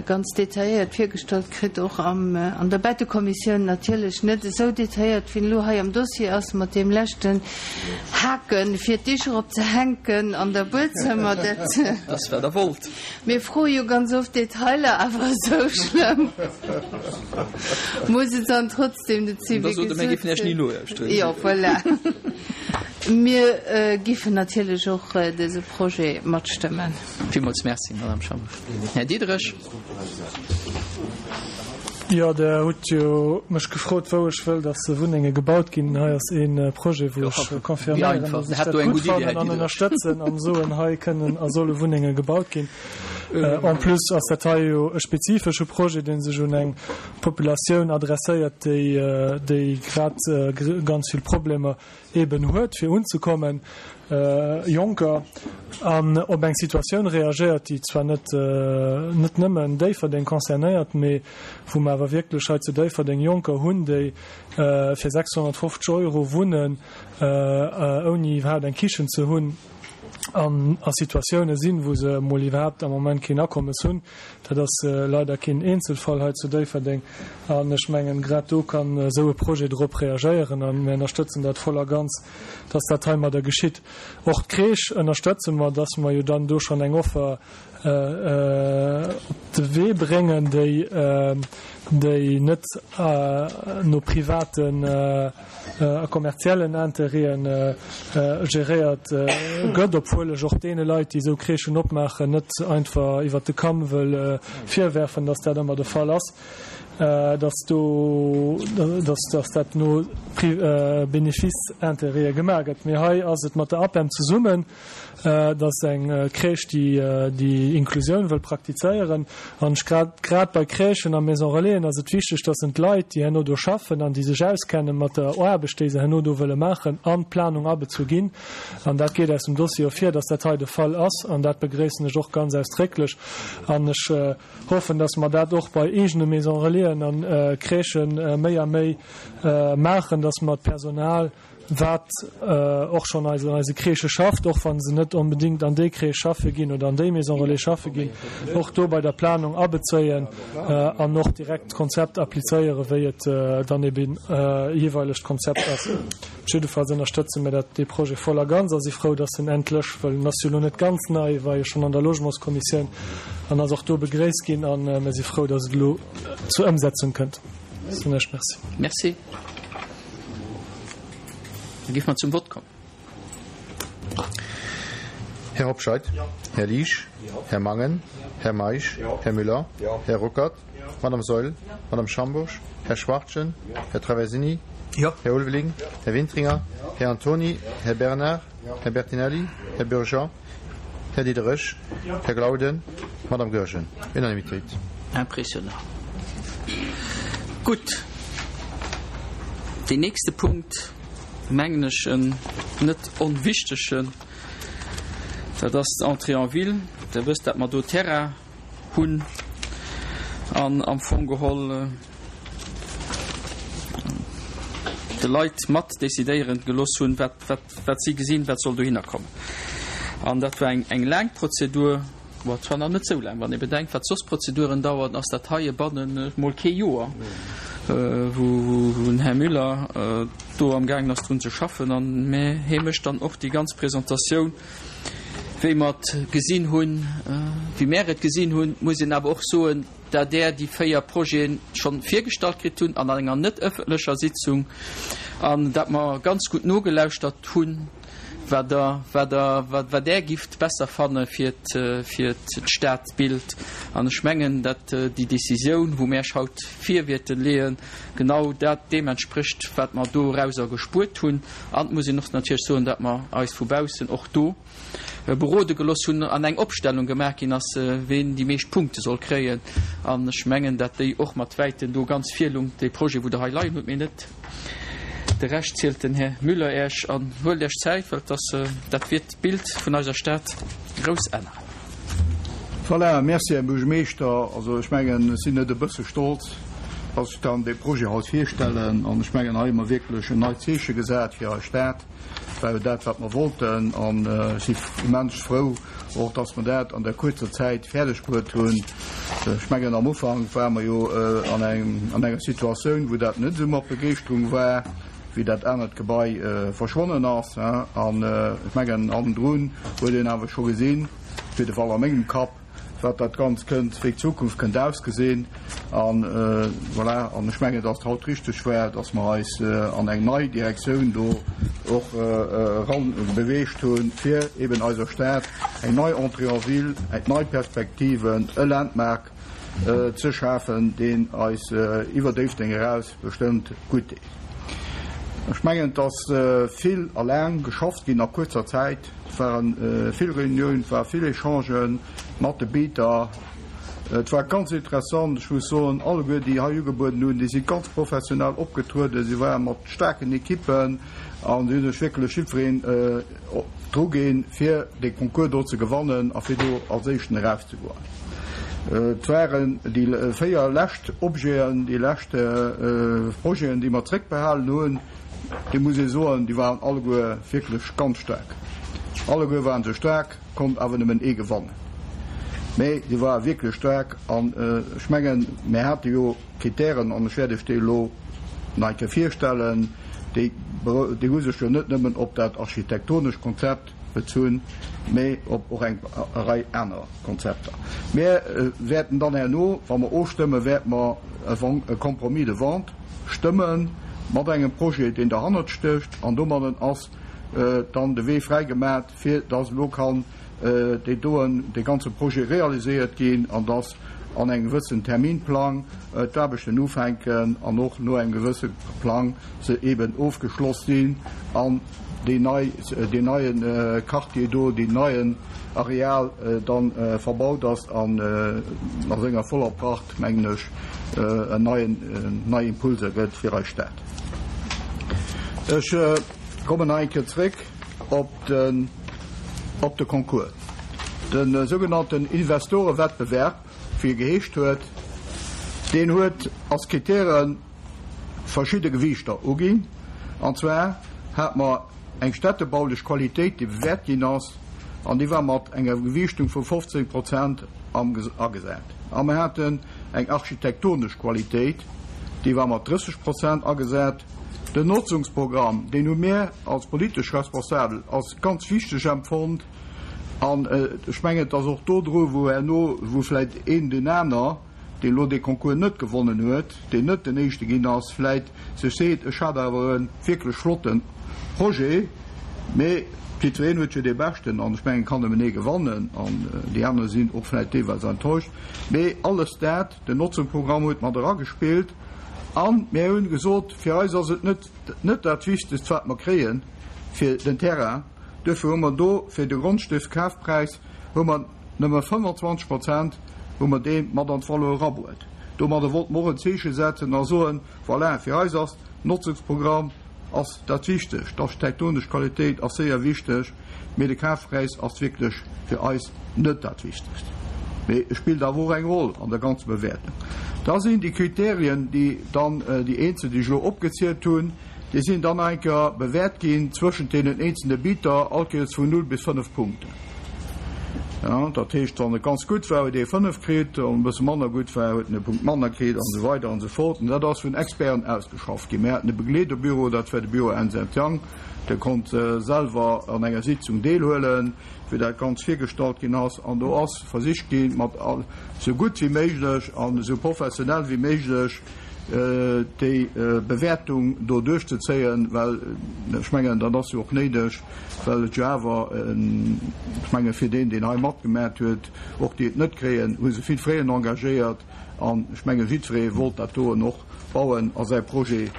ganz detailléiert virgestallt kritt, och am an der Bautekommissioun, natierlech net esou detailléiert, wéi en elo hei am Dossier ass, mat deem leschten Haken, fir d'Dicher opzehänken an der Buedzëmmer. Dat Ass wat Der wollt. Mir froe jo ganz oft Detailer, awer esou schlëmm muss et dann trotzdem net sinn, Da wéi sot e, mir gesot. géifen Iech ni nolauschteren. Jo, voilà. Mir giffen natierlech och dëse Projet matstëmmen. Villmools merci, Madamm Schambourg. Här Diderich. Jo, Der hutt jo mech gefrot, wou ech wëll, dass Wunnenge gebaut ginn. Hei ass ee Projet, wou ech Wéi confirméieren, einfach. dass ech Hat dat do eng gutt gutt Idee, fannen Här an Diderich. ënnerstëtzen an soen, hei kënnen a solle Wunnenge gebaut ginn. En plus ass dat hei jo e spezifesche Projet, dee sech un eng Populatioun adresséiert, déi, déi grad ganz vill Problemer eben huet, fir unzekommen, Jonker, an op eng Situatioun reagéiert, déi zwar net, net nëmmen Déifferdeng concernéiert, mee wou mer awer wierklech hei zu Déifferdeng Jonker hunn, déi fir sechshonnertfofzeg Euro wunnen, ouni iwwerhaapt eng Kichen ze hunn, an a Situatioune sinn, wou se emol iwwerhaapt am Moment keen Akommes hunn. Dat ass leider keen Eenzelfall hei zu Déifferdeng. An ech mengen, grad do kann esou e Projet drop reagéieren a mir ënnerstëtzen dat voll a ganz, dass dat heimadder geschitt. Och d'Crèche ënnerstëtze mer, dass mer jo dann do schonn eng Offer op de Wee bréngen, déi déi net no privaten a kommerziellen Interêten geréiert gëtt, obwuel ech och deene Leit, déi esou Crèchen opmaachen, net einfach iwwert de Kamm wëll virwerfen, dass dat ëmmer de Fall ass, dass do, dass, dass dat no Benefice-Interêtë gemaach gëtt. Mee hei ass et mat der APEM zesummen, dass eng Crèche, déi déi Inklusioun wëll praktizéieren. An ech grad, grad bei Crèchen a Maison Relaisen ass et wichteg, dass en d'Leit, déi herno do schaffen an déi sech auskenne mat der Aarbecht, déi se herno do wëlle maachen, an d'Planung abezu ginn. An dat geet aus dem Dossier ervir, dass dat hei de Fall ass. An dat begréissen ech och ganz ausdrécklech. An ech hoffen, dass mer dat och bei eegene Maison Relaisen an Crèchen méi a méi maachen, dass mer d'Personal, wat och schonn an eise Crèchë schafft, och wa se net onbedéngt an déi Crèche schaffe ginn oder an déi Maison Relais schaffe ginn, och do bei der Planung abezéien an och direkt d'Konzept applizéieren, wéi et dann eben jeeweilegt Konzept ass. Jiddefalls ënnerstëtze mir dat, dee Projet voll a ganz a si frou, dass en endlech, well en ass jo elo net ganz nei, war jo schonn an der Logementskommissioun an ass och do begréisst ginn a mir si frou, dass et elo zur Ëmsetzung kënnt. Soen ech Merci. Merci. Da géife mer zum Vott kommen. Här Hobscheit? Här Liesch? Här Mangen? Här Meisch? Här Müller? Här Ruckert? Madame Saeul? Madame Schambourg? Här Schwachtgen? Här Traversini? Här Ulveling? Här Wintringer? Här Antoni? Här Bernard? Här Bertinelli? Här Bürger? Här Diderich? Här Glauden? Madame Goergen? Unanimitéit. Impressionnant. Gutt. Deen nächste Punkt, mengen ech, en net onwichtegen, dat ass d'Entrée en ville. Der wësst, dat mer do Terrain hunn. an am Fong geholl de Leit mat decidéieren gelooss hunn, wat, wat, wat si gesinn, wat soll dohinner kommen. An dat war eng, eng laang Prozedur, bon, zwar nach net esou laang, wann ee bedenkt, wat soss Prozeduren dauern, ass dat hei e bannen mol kee Joer, wou, wou den Här Müller do amgaangen ass drun ze schaffen. An, mä hie mécht dann och déi ganz Presentatioun, wéi mer et gesinn hunn, wéi mär et gesinn hunn, muss een awer och soen, dat Där déi véier Projete schonn virgestallt kritt hunn an enger net ëffentlecher Sitzung an dat mer ganz gutt nogelauschtert hunn, wat Der, wat Der, wat Där gifft besser fanne fir fir d'Stadbild. An ech mengen, dat déi Décisioun, wou mär Iech haut vir wäerte leeën, genau dat deem entsprécht, wat mer dorauser gespuert hunn. An et muss een och natierlech soen, dat mer eis vu baussen och do berode gelooss hunn an eng Opstellung gemaach ginn ass, ween déi meescht Punkte soll kréien. An ech mengen, dat déi och mat wäiten do ganz virlung, dee Projet, wou Der hei leien hutt, mee net de Rescht zielt den Här Müller Iech. An huelt Iech Zäit, well dass dat wiert d'Bild vun eiser Stad grouss änneren. Voilà, merci, Här Buergermeeschter. Also ech mengen, ech sinn net e bësse stolz, dass ech dann dee Projet haut virstellen. An ech mengen, hei hu mer wierklech en neit Zeeche gesat fir eis Stad. War jo dat, wat mer wollten. An ech si immens frou och, dass mer dat an där kuerzer Zäit fäerdeg bruet hunn. Ech mengen, am Ufank ware mer jo an engem, an enger Situatioun, wou dat net esou mat Begeeschterung war, wéi dat anert Gebai verschwonnen ass. An ech mengen, hannendrun huet een awer scho gesinn, op jidde Fall a mengem Kapp, wat dat Ganzt kënnt, wéi d'Zukunft kënnt ausgesinn. An voilà, an ech mengen, dass et haut richteg war, dass mer eis an eng nei Direktioun do och eran beweegt hunn, fir eben eiser Stad eng nei Entrée en ville, eng nei Perspektiven, e Landmark ze schafen, deen eis iwwer Déifferdeng eraus bestëmmt gutt deet. Ech mengen, et ass vill a laang geschafft ginn a kuerzer Zäit. Et ware vill Reuniounen, et ware vill Echangen mat de Bieter. Et war ganz interessant. Ech muss soen, alleguer, déi hei ugebueden hunn, déi si ganz professionell opgetrueden. Si ware mat staarken Ekippen a si hu sech wierklech jiddwereen druginn, fir dee Concours do ze gewannen a fir do als Éischten erauszegoen. Et waren déi véier lescht Objeten, déi lescht Projeten, déi mer zréckbehalen hunn. Déi muss ee soen, déi waren alleguer wierklech ganz staark. Alleguer waren se staark, konnt awer nëmmen ee gewannen. Mä déi ware wierklech staark an ech mengen, mir hate jo Kritären, an ech wäert Iech déi elo nach eng Kéier virstellen, déi, déi hu sech jo net nëmmen op dat architektonescht Konzept bezunn, mä op och eng Rei aner Konzepter. Mir wäerten dann herno, wa mer ofstëmmen, wäerte mer e Compromis de vente stëmme mat engem Projet, deen derhannert stécht, an domadden ass dann de Wee fräi gemat, fir dass elo kann déi doen, dee ganze Projet realiséiert ginn an dass an engem gewëssen Terminplang d'Aarbechten ufänken an och no engem gewësse Plang se eben ofgeschloss sinn an déi nei, deen neien Quartier do, deen neien Areal dann verbaut ass an a senger voller Pracht, mengen ech, en neien, nei Impulser gëtt fir eis Stad. Ech kommen nach eng Kéier zréck op den, op de Concours, de sougenannten Investorewettbewerb, wéi e geheescht huet. Deen huet als Kritäre verschidde Gewiichter uginn. An zwar hate mer eng städtebaulech Qualitéit, déi bewäert ginn ass, an déi war mat enger Gewiichtung vu fofzéng Prozent agesat. A mer haten eng architektonesch Qualitéit, déi war mat drësseg Prozent agesat. Den Notzungsprogramm, deen hu mir als politesch Responsabel als ganz wichteg empfonnt. An ech mengen, et ass och do dru wou herno, wou vläicht een deen aner, deen elo dee Concours net gewonnen huet, deen net den Éischte ginn ass, vläicht sech seet, ech hat awer e wierklech flotte Projet, mee jiddwereen huet jo dee Beschten an ech mengen, et kann nëmmen ee gewannen an déi aner sinn och vläicht deelweis enttäuscht. Mee alles dat, den Notzungsprogramm huet mat eragespillt a mir hunn gesot, fir eis ass et net net dat Wichtegst, wat mer kréie fir den Terrain. Duerfir hu mer do fir de Grondstückskafpräis hu mer nëmme fënnfanzwanzeg Prozent hu mer dee mat an d'Valeur erabruet. Domadder wollte mer och en Zeeche setzen a soen, voilà, fir eis ass Notzungsprogramm ass dat Wichtegst, d'architektonesch Qualitéit ass séier wichteg, mee de Kafpräis ass wierklech fir eis net dat Wichtegst. Mee e spillt awer och eng Roll an der ganzer Bewäertung. Da sinn déi Kriterien, déi dann déi eenzel, déi ech elo opgezielt hunn, déi sinn dann nach eng Kéier bewäert ginn zwëschent deenen eenzelne Bieter, all Kéiers vun null bis fënnef Punkten. Jo, dat heescht, wann et ganz gutt war, huet ee fënnef kritt, wann e bësse manner gutt war, huet en e Punkt manner kritt an esou weider an esou fort. An dat ass vun Experten ausgeschafft ginn. Mir haten e Begleederbüro, dat war de Büro Ernst Young, dee konnt selwer an enger Sitzung deelhuelen, wéi dat Ganzt virgestallt ginn ass. An do ass versicht ginn, mat esou gutt wéi méiglech an esou professionell wéi méiglech déi Bewäertung do duerchzezéien, well ech mengen, dat ass jo och néideg, well et jo awer, ech menge fir deen, deen hei matgemat huet, och déi et net kréien, hu se vill Frais engagéiert an ech menge jiddweree wollt dat doen och bauen a säi Projet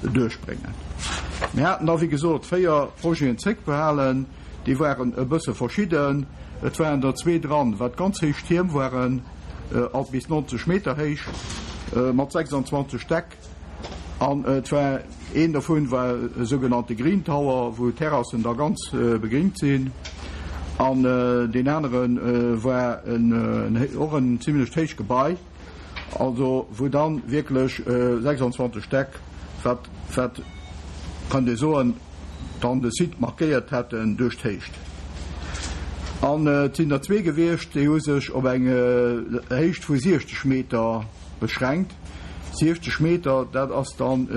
duerchbréngen. Mir haten da wéi gesot véier Projeten zréckbehalen, déi waren e bësse verschidden. Et waren der zwee dran, wat ganz héich Tierm waren, alt bis neunzeg Meter héich, mat sechsundzwanzeg Stäck. An et war een dovun war e sougenannte Green Tower, wou d'Terrassen da ganz begringt sinn. An deen anere war och en zimlecht héicht Gebai, also wou dann wierklech sechsundzwanzeg Stäck, wat, wat kann ee soen, dann de Site markéiert hätten duerch d'Héicht. An et sinn der zwee gewiescht, déi hu sech op eng Héicht vu siechzeg Meter beschränkt. Siechzeg Meter, dat ass dann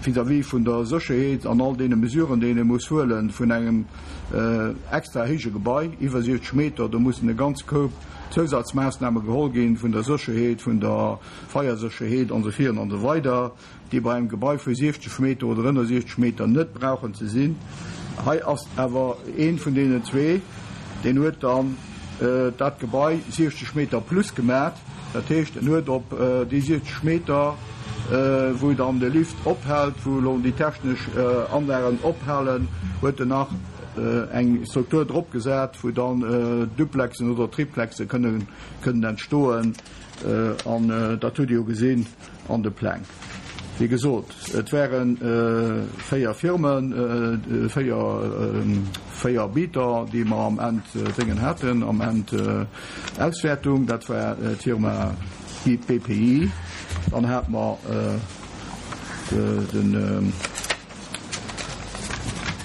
vis-à-vis vun der Sécherheet an all deene Mesuren, déi ee muss huelen, vun engem extra héije Gebai iwwer siechzeg Meter, do mussen e ganz Koup Zousazmaassname geholl ginn, vun der Sécherheet, vun der Feiersécherheet an esou virun an esou weider, déi bei engem Gebai vu siechzeg Meter oder ënner siechzeg Meter net brauchen ze sinn. Hei ass awer ee vun deenen zwee, deen huet dann dat Gebai siechzeg Meter plus gemat. Dat heescht, en huet op déi siechzeg Meter, wou dann de Lift ophält, wou elo déi technesch Anlagen ophalen, huet en nach eng Struktur drop gesat, wou dann Duplexen oder Triplexe kënnen kënnen entstoen. An dat hutt Dir jo gesinn an de Pläng. Wéi gesot, et ware véier Firmen, véier, véier Bieter, déi mer am Enn déngen haten, am Enn Auswäertung. Dat war d'Firma B P I. Dann hate mer den,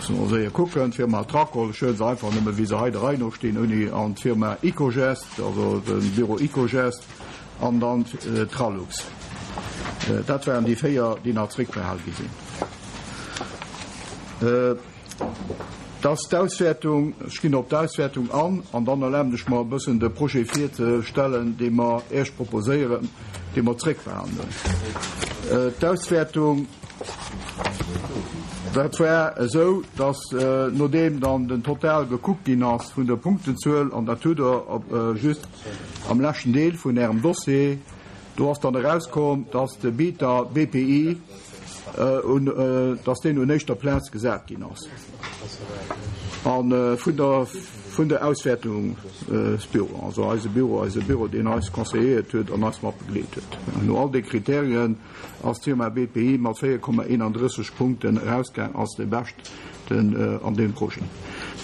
séier kucken, d'Firma Tracol, ech huele se einfach nëmme wéi se hei der Rei no stinn, ouni, an d'Firma Ecogest, also de Büro Ecogest, an dann Tralux. Dat waren déi véier, déi nach zréckbehal gi sinn. Dat ass d'Auswäertung. Ech ginn op d'Auswäertung an an dann erlaben ech mer e bëssen de Projet virzestellen, dee mer Iech proposéieren, dee mer zréckbehalen hunn. D'Auswäertung, dat war esou, datt nodeem dann den Total gekuckt ginn ass vun der Punktenzuel, an dat hutt Der just am leschten Deel vun Ärem Dossier, do ass dann erauskomm, datt de Bieter B P I, datt deen un éischter Plaz gesat ginn ass a vun der vun der Auswäertungsbüro, also eise Büro, eise Büro, deen eis conseilléiert huet an eis mat begleet huet. No all de Kriterien ass d'Firma B P I mat véier Komma eenandrësseg Punkten erausgaang als de beschten an deem Projet.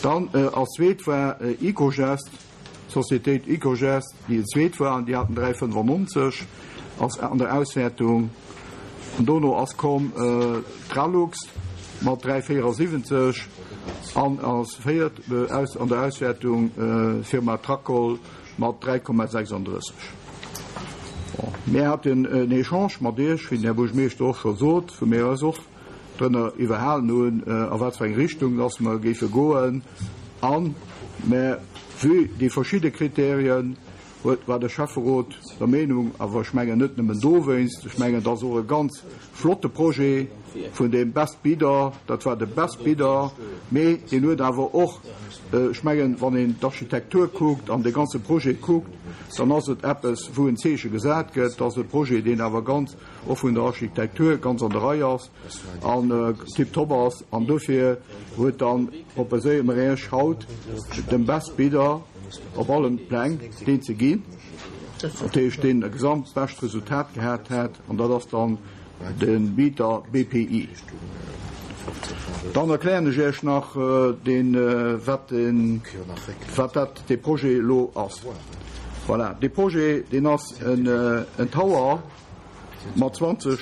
Dann als zweet war Ecogest, d'Societéit Ecogest, déi zweet war, an déi haten dräi Komma fënnefannonzeg als an der Auswäertung. An dono ass komm Tralux mat dräi Komma véierundsiwwenzeg an als véiert aus an der Auswäertung Firma Tracol mat dräi Komma sechsundrësseg. Mir haten en Echange mat Iech, wéi den Här Buergermeeschter och scho sot, wou mir eis och drënner iwwerhalen hunn, a wat fir eng Richtung dass mer géife goen. An mä vu déi verschidde Kriterien huet war de Schäfferot der Meenung, awer ech mengen net nëmmen dowéinst, ech mengen, dat ass och e ganz flotte Projet vun dem Best Bidder, dat war de Best Bidder, mee deen huet awer och, ech mengen, wann een d'Architektur kuckt an de ganze Projet kuckt, dann ass et eppes, wou en Zeeche gesat gëtt, dat ass e Projet, deen awer ganz och vun der Architektur ganz an der Rei ass an tiptop ass. An dofir huet dann proposéiere mer Iech haut dem Best Bidder op allen Pläng deen ze ginn, dat heescht deen e gesamt bescht Resultat gehat hat, an dat ass dann de Bieter B P I. Dann erklären ech Iech nach den, wat den, wat dat de Projet elo ass. Voilà, dee Projet, deen ass en, en Tower mat zwanzeg,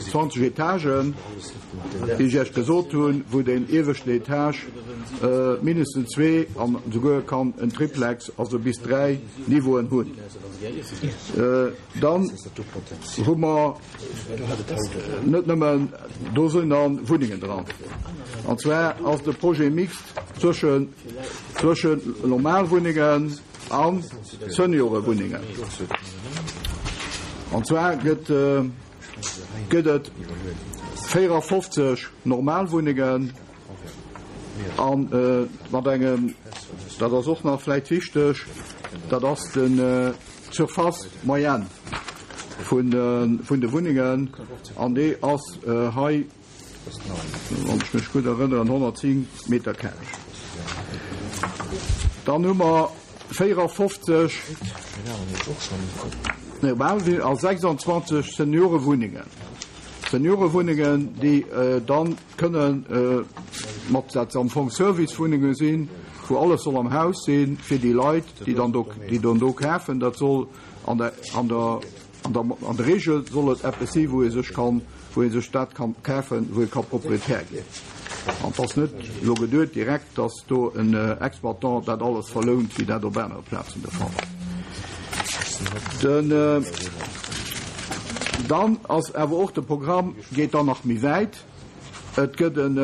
zwanzeg Etagen, wéi ech Iech gesot hunn, wou deen ieweschten Etage mindestens zwee an esouguer kann en Triplex, also bis dräi Niveauen hunn. Dann hu mer net nëmmen, do sinn da Wunnengen dran. An zwar ass de Projet mixte zwëschen, zwëschen Normalwunnengen a Seniorewunnengen. An zwar gëtt, gëtt et véierafofzeg Normalwunnengen a mat engem, dat ass och nach vläicht wichteg, dat ass den d'Surface moyenne vun vun de Wunnengen an déi ass hei, wann ech mech gutt erënneren, honnertzéng Meter carré. Dann hu mer véierafofzeg a sechsandzwanzeg Seniorewunnengen. Seniorewunnengen, déi dann kënnen mat, dat am Fong Servicewunnenge sinn, wou alles soll am Haus sinn fir déi Leit, déi dann do, déi dann do kafen. Dat soll an der, an der, an der, an der Regel soll et eppes si wou ee sech kann, wou ee sech dat kann kafen, wou ee ka Proprietär ginn. An et ass net elo geduet direkt, datt do en Exploitant dat alles verlount, wéi dat op anere Plazen de Fall ass. Den, dann ass awer och de Programm geet dann nach méi wäit. Et gëtt en,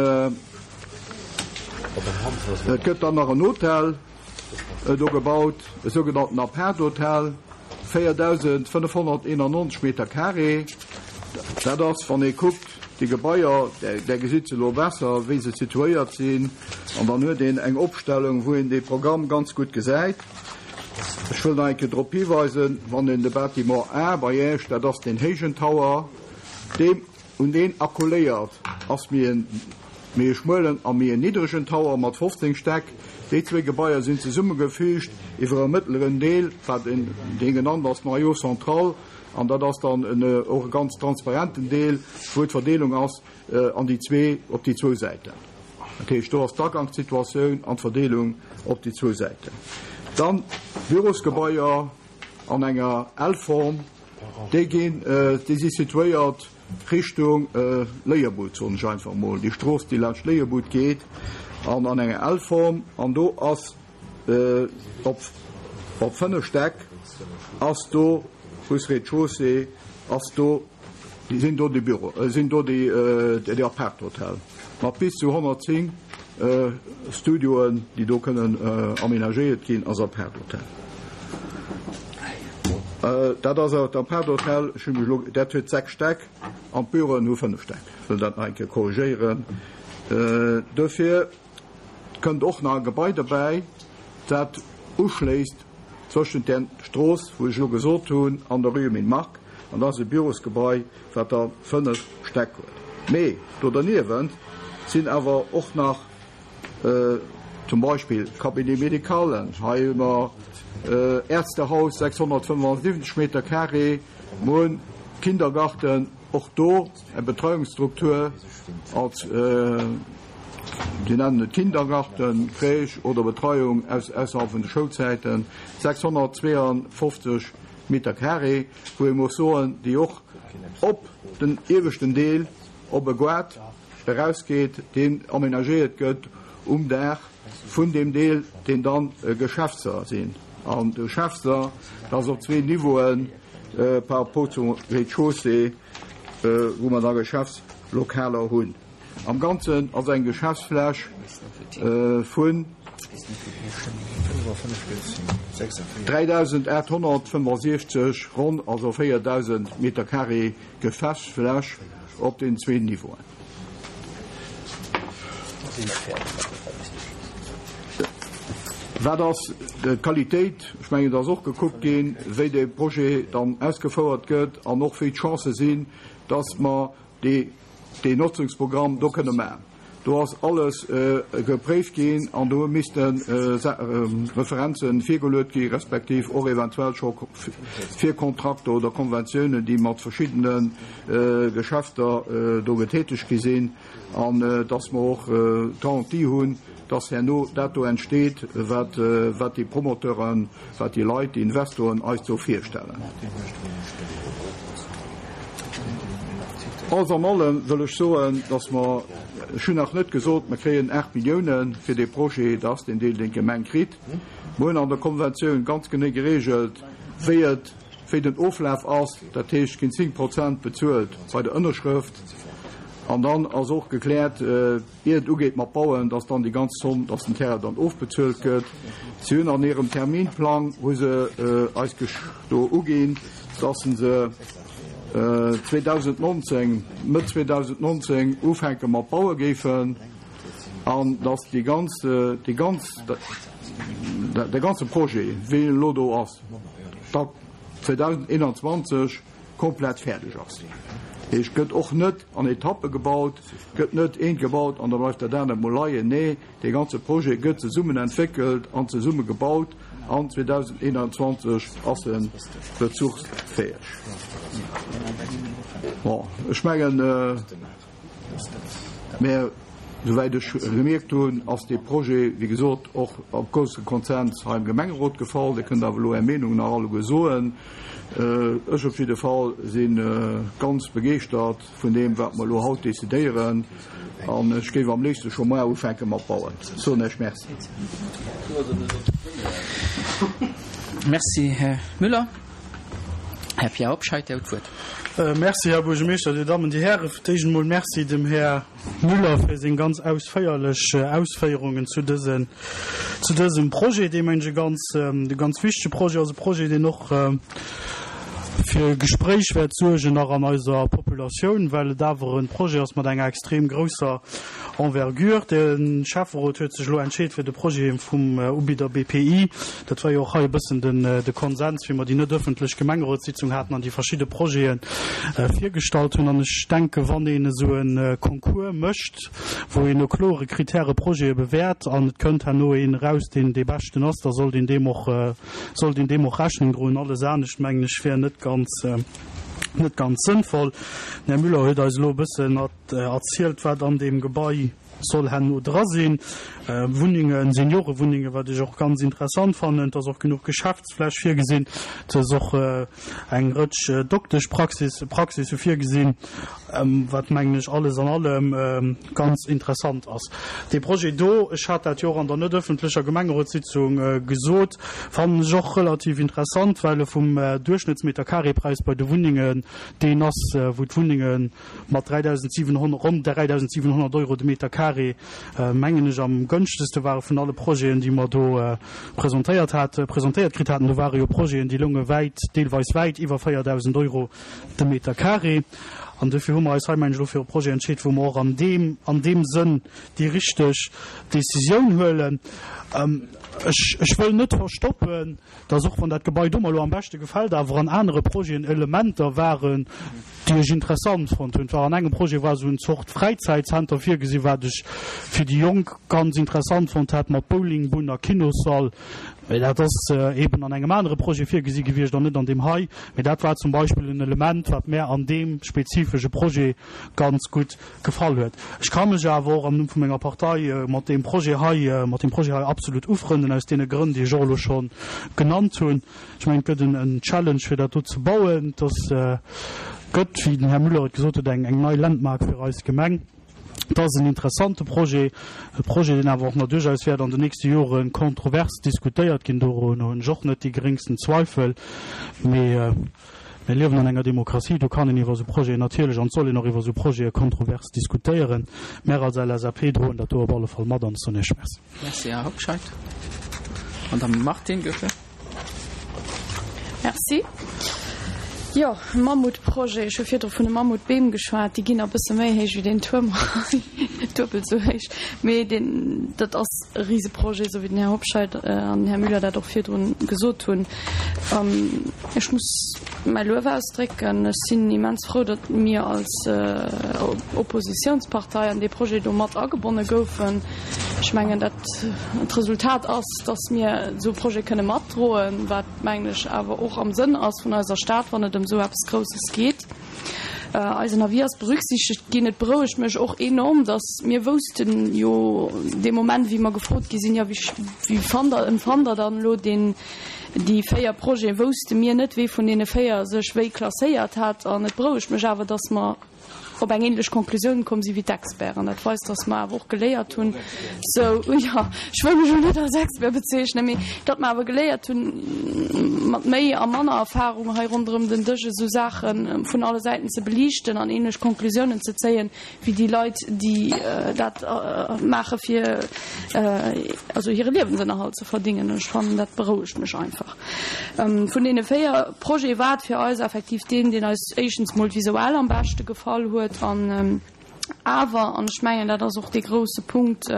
et gëtt dann nach en Hotel do gebaut, e sougenannten Apart-Hotel, véierdausendfënnefhonnerteenannonzeg Meter carré. Dat ass, wann ee kuckt, déi Gebaier, där gesitt se elo besser, wéi se situéiert sinn, an dann huet een eng Opstellung, wou een dee Programm ganz gutt gesäit. Ech wëll nach eng Kéier drop hiweisen, wann een de Bâtiment A bei Esch, dat ass deen héijen Tower, deem un deen accoléiert ass méi en méi e schmuelen a méi en niddregen Tower mat fofzéng Stäck. Déi zwee Gebaier sinn zesummegefügt iwwer e mëttleren Deel, wat en dee genannt ass Noyau central, an dat ass dann en och e ganz transparenten Deel, wou d'Verdeelung ass an déi zwee, op déi zwou Säiten. Dat heescht, do ass d'Agangssituatioun an d'Verdeelung op déi zwou Säiten. Dann Bürosgebaier an enger L-Form, déi ginn, déi si situéiert Richtung Léierbutt, soen ech einfach emol, déi Strooss, déi laanscht Léierbutt geet, an an enger L-Form. An do ass op, op fënnef Stäck ass do, Bus Rez-de-chaussée, ass do, sinn do déi Büro, sinn do déi, déi Apart-Hotel mat bis zu honnertzéng Studioen, déi do kënnen aménagéiert ginn als Apart-Hotel. Dat ass awer d'Apart-Hotel, ech hu mech elo, dat huet sechs Stäck an d'Büroen hu fënnef Stäck. Ech wëll dat nach eng Kéier korrigéieren. Dofir kënnt och nach e Gebai derbäi, dat uschléisst zwëschent der Strooss, wou ech elo gesot hunn, an der Rue Emile Mark, an dat ass e Bürosgebai, wat da fënnef Stäck huet. Mee do derniewent sinn awer och nach zum Beispill Cabinet médicalen, hei hu mer Ärztehaus, sechshonnertfënnefundsiwwenzeg Meter carré, mer hunn Kindergarten, och do eng Betreuungsstruktur als, déi nennen et Kindergarten, Crèche oder Betreuung aus, ausserhalb vun de Schoulzäiten, sechshonnertzweeanfofzeg Meter carré, wou ee muss soen, déi och op den ieweschten Deel op e Goart erausgeet, deen aménagéiert gëtt um Daach vun deem Deel, deen dann Geschäfter sinn. An de Geschäfter, dat ass op zwee Niveauen par rapport zum Rez-de-chaussée, wou mer da Geschäftslokaler hunn. Am Ganzen ass eng Geschäftsfläch vun dräidausendaathonnertfënnefundsiechzeg, ronn also véierdausend Meter carré Geschäftsfläch op den zwee Niveauen. Wat ass d'Qualitéit? Ech mengen, et ass och gekuckt ginn, wéi dee Projet dann ausgefouert gëtt an och wéi d'Chancë sinn, dass mer dee Notzungsprogramm do kënne maachen. Do ass alles gepréift ginn an do hu misste Referenze virgeluet gi respektiv och eventuell scho Virkontrakter oder Konventiounen, déi mat verschiddene Geschäfter do getätegt gi sinn, an dass mer och d'Garantie hunn, dass herno dat do entsteet, wat, wat déi Promoteuren, wat déi Leit, déi Investoren eis do virstellen. Alles an allem wëll ech soen, dass mer, ech hunn nach net gesot, mer kréien aacht Milliounen fir dee Projet, dat ass deen Deel, deen d'Gemeng kritt. Mer hunn an der Konventioun ganz genee geregelt, wéi et, wéi den Oflaf ass. Dat heescht, et ginn zéng Prozent bezuelt bei der Ënnerschrëft. An dann ass och gekläert, ier et ugeet mat bauen, dass dann déi ganz Zomm, dass den Terrain dann ofbezuelt gëtt. Si hunn an hirem Terminplang, hu se eis do uginn, dass se zweedausendnonzéng, Mëtt zweedausendnonzéng ufänke mat baue géifen an dass déi ganz, déi ganz, dee ganze Projet, wéi en elo do ass, da zweedausendeenanzwanzeg komplett fäerdeg ass. Heescht, gëtt och net an Etappe gebaut, gëtt net eent gebaut an da bleift dat anert mol leien. Nee, dee ganze Projet gëtt zesummen entwéckelt an zesumme gebaut an zweedausendeenanzwanzeg ass e bezuchsfäeg. Bon, ech mengen, mä souwäit ech gemierkt hunn, ass dee Projet, wéi gesot, och op grousse Konsens hei am Gemengerot gefall. Dir kënnt awer elo Är Meenung nach alleguer soen. Ech op jidde Fall si ganz begeeschtert vun deem, wat mer elo haut decidéieren, an ech géif am léifste scho muar ufänke mat bauen. Soen Iech Merci. Merci, Här Müller. Här Pierre Hobscheit, Dir hutt d'Wuert. Merci, Här Buergermeeschter, Dir Dammen, Dir Hären. Fir d'éischt emol Merci dem Här Müller fir seng ganz ausféierlech Ausféierungen zu dësen, zu dësem Projet, dee mengen ech e ganz, e ganz wichtege Projet ass, e Projet, deen och fir Gespréich wäert suergen nach an eiser Populatioun, well et awer e Projet ass mat enger extrem grousser Envergure. De Schäfferot huet sech elo entscheet fir de Projet vum Ubidder B P I. Dat war jo och hei e bëssen den, de Konsens, wéi mer déi net öffentlech Gemengerotssitzung haten an déi verschidde Projete virgestallt hunn. An ech denken, wann een esou e Concours mécht, wou een no klore Kritäre Projete bewäert an et kënnt herno een eraus, deen dee beschten ass, da sollt een deem och, sollt een deem och Rechnung droen. Alles anescht, mengen ech, wär net ganz, net ganz sënnvoll. Den Här Müller huet eis elo e bëssen erzielt, wat an deem Gebai soll herno dra sinn. Wunnengen, Seniorewunnengen, wat ech och ganz interessant fannen. Et ass och genuch Geschäftsfläch virgesinn. Et ass och eng Rëtsch Dokteschpraxis, Praxisse virgesinn, wat, mengen ech, alles an allem ganz interessant ass. Dee Projet do, ech hat dat jo och an der net öffentlecher Gemengerotssitzung gesot, fannen ech och relativ interessant, well e vum Duerchschnëttsmetercarré-Präis bei de Wunnengen deen ass, wou d'Wunnenge mat dräidausentsiwenhonnert, ronn dräidausentsiwenhonnert Euro de Meter carré, mengen ech, am gënschtegste ware vun alle Projeten, déi mer do presentéiert hat, presentéiert kritt haten. Do ware jo Projeten, déi lounge wäit, deelweis wäit iwwer véierdausend Euro de Meter carré. An dofir hu mer eis hei, mengen ech, elo fir e Projet entscheet, wou mer och an deem, an deem Sënn déi richteg Décisioun huelen. Ech, ech wëll net verstoppen, dass och wann dat Gebai do mer elo am beschte gefält, awer an anere Projeten Elementer waren, déi ech interessant fonnt hunn. Et war an engem Projet war esou en Zort Fräizäitzenter virgesinn, wat ech fir déi Jonk ganz interessant fonnt hat, mat Bowlingbunn a Kinossall. Mee dat ass eben an engem anere Projet virgesi gewiescht an net an deem hei. Mee dat war zum Beispill en Element, wat mär an deem spezifesche Projet ganz gutt gefall huet. Ech ka mech awer och am Numm vu menger Partei mat deem Projet hei, mat deem Projet hei absolut ufrënden, aus deene Grënn, déi ech och elo scho genannt hunn. Ech mengen, et gëtt en Challenge, fir dat do ze bauen. Et ass, gëtt, wéi den Här Müller et gesot huet, eng nei Landmark fir eis Gemeng. Et ass en interessante Projet, e Projet, deen awer och nach duerchaus wäert an den nächste Jore kontrovers diskutéiert ginn. Dorun hunn ech och net déi geréngsten Zweifel. Mee mir liewen an enger Demokratie, do kann een iwwer esou Projeten natierlech an et soll een och iwwer esou Projete kontrovers diskutéieren. Mär als L S A P droen dat do op alle Fall mat an soen Iech Merci. Merci, Här Hobscheit. Madame Martin, bitte. Merci. Jo, Mammutprojet. Ech hu virdru vun de Mammutbeem geschwat. Déi ginn e bësse méi héich wéi deen Tuerm hei, duebel esou héich. Mee deen, dat ass e Riseprojet, esou wéi den Här Hobscheit an den Här Müller dat och virdrun gesot hunn. Ech muss mäi Luef ausdrécken. Ech sinn immens frou, datt mir als Oppositionspartei an dee Projet do mat agebonne goufen. Ech mengen, dat d'Resultat ass, datt mir esou e Projet kënne matdroen, wat mengen ech awer och am Sënn ass vun eiser Stad, wann et ëm esou eppes Grousses geet. Eisen Avis ass berücksichtegt ginn. Et berouegt mech och enorm, dass mir woussten jo dee Moment, wéi mer gefrot gi sinn, jo wéi wéi fannt Der, empfannt Der dann elo deen, déi véier Projete, wousste mir net, wee vun deene véier sech wéi klasséiert hat. An et berouegt mech awer, dass mer op eng ähnlech Konklusioun komm si wéi d'Experten. Dat weist, dass mer awer och geléiert hunn, sou, jo, ech wëll mech elo net als Expert bezeechnen, mee datt mer awer geléiert hunn, mat méi a manner Erfahrung hei ronderëm den Dësch esou Saache vun alle Säiten ze beliichten an ähnlech Konklusiounen ze zéien, wéi déi Leit, déi dat maache fir also hire Liewensënnerhalt ze verdingen. Ech fannen, dat berouegt mech einfach. Vun deene véier Projete war et fir eis effektiv deen, deen eis éischtens mol visuell am beschte gefall huet an awer, an ech mengen, dat ass och dee grouse Punkt,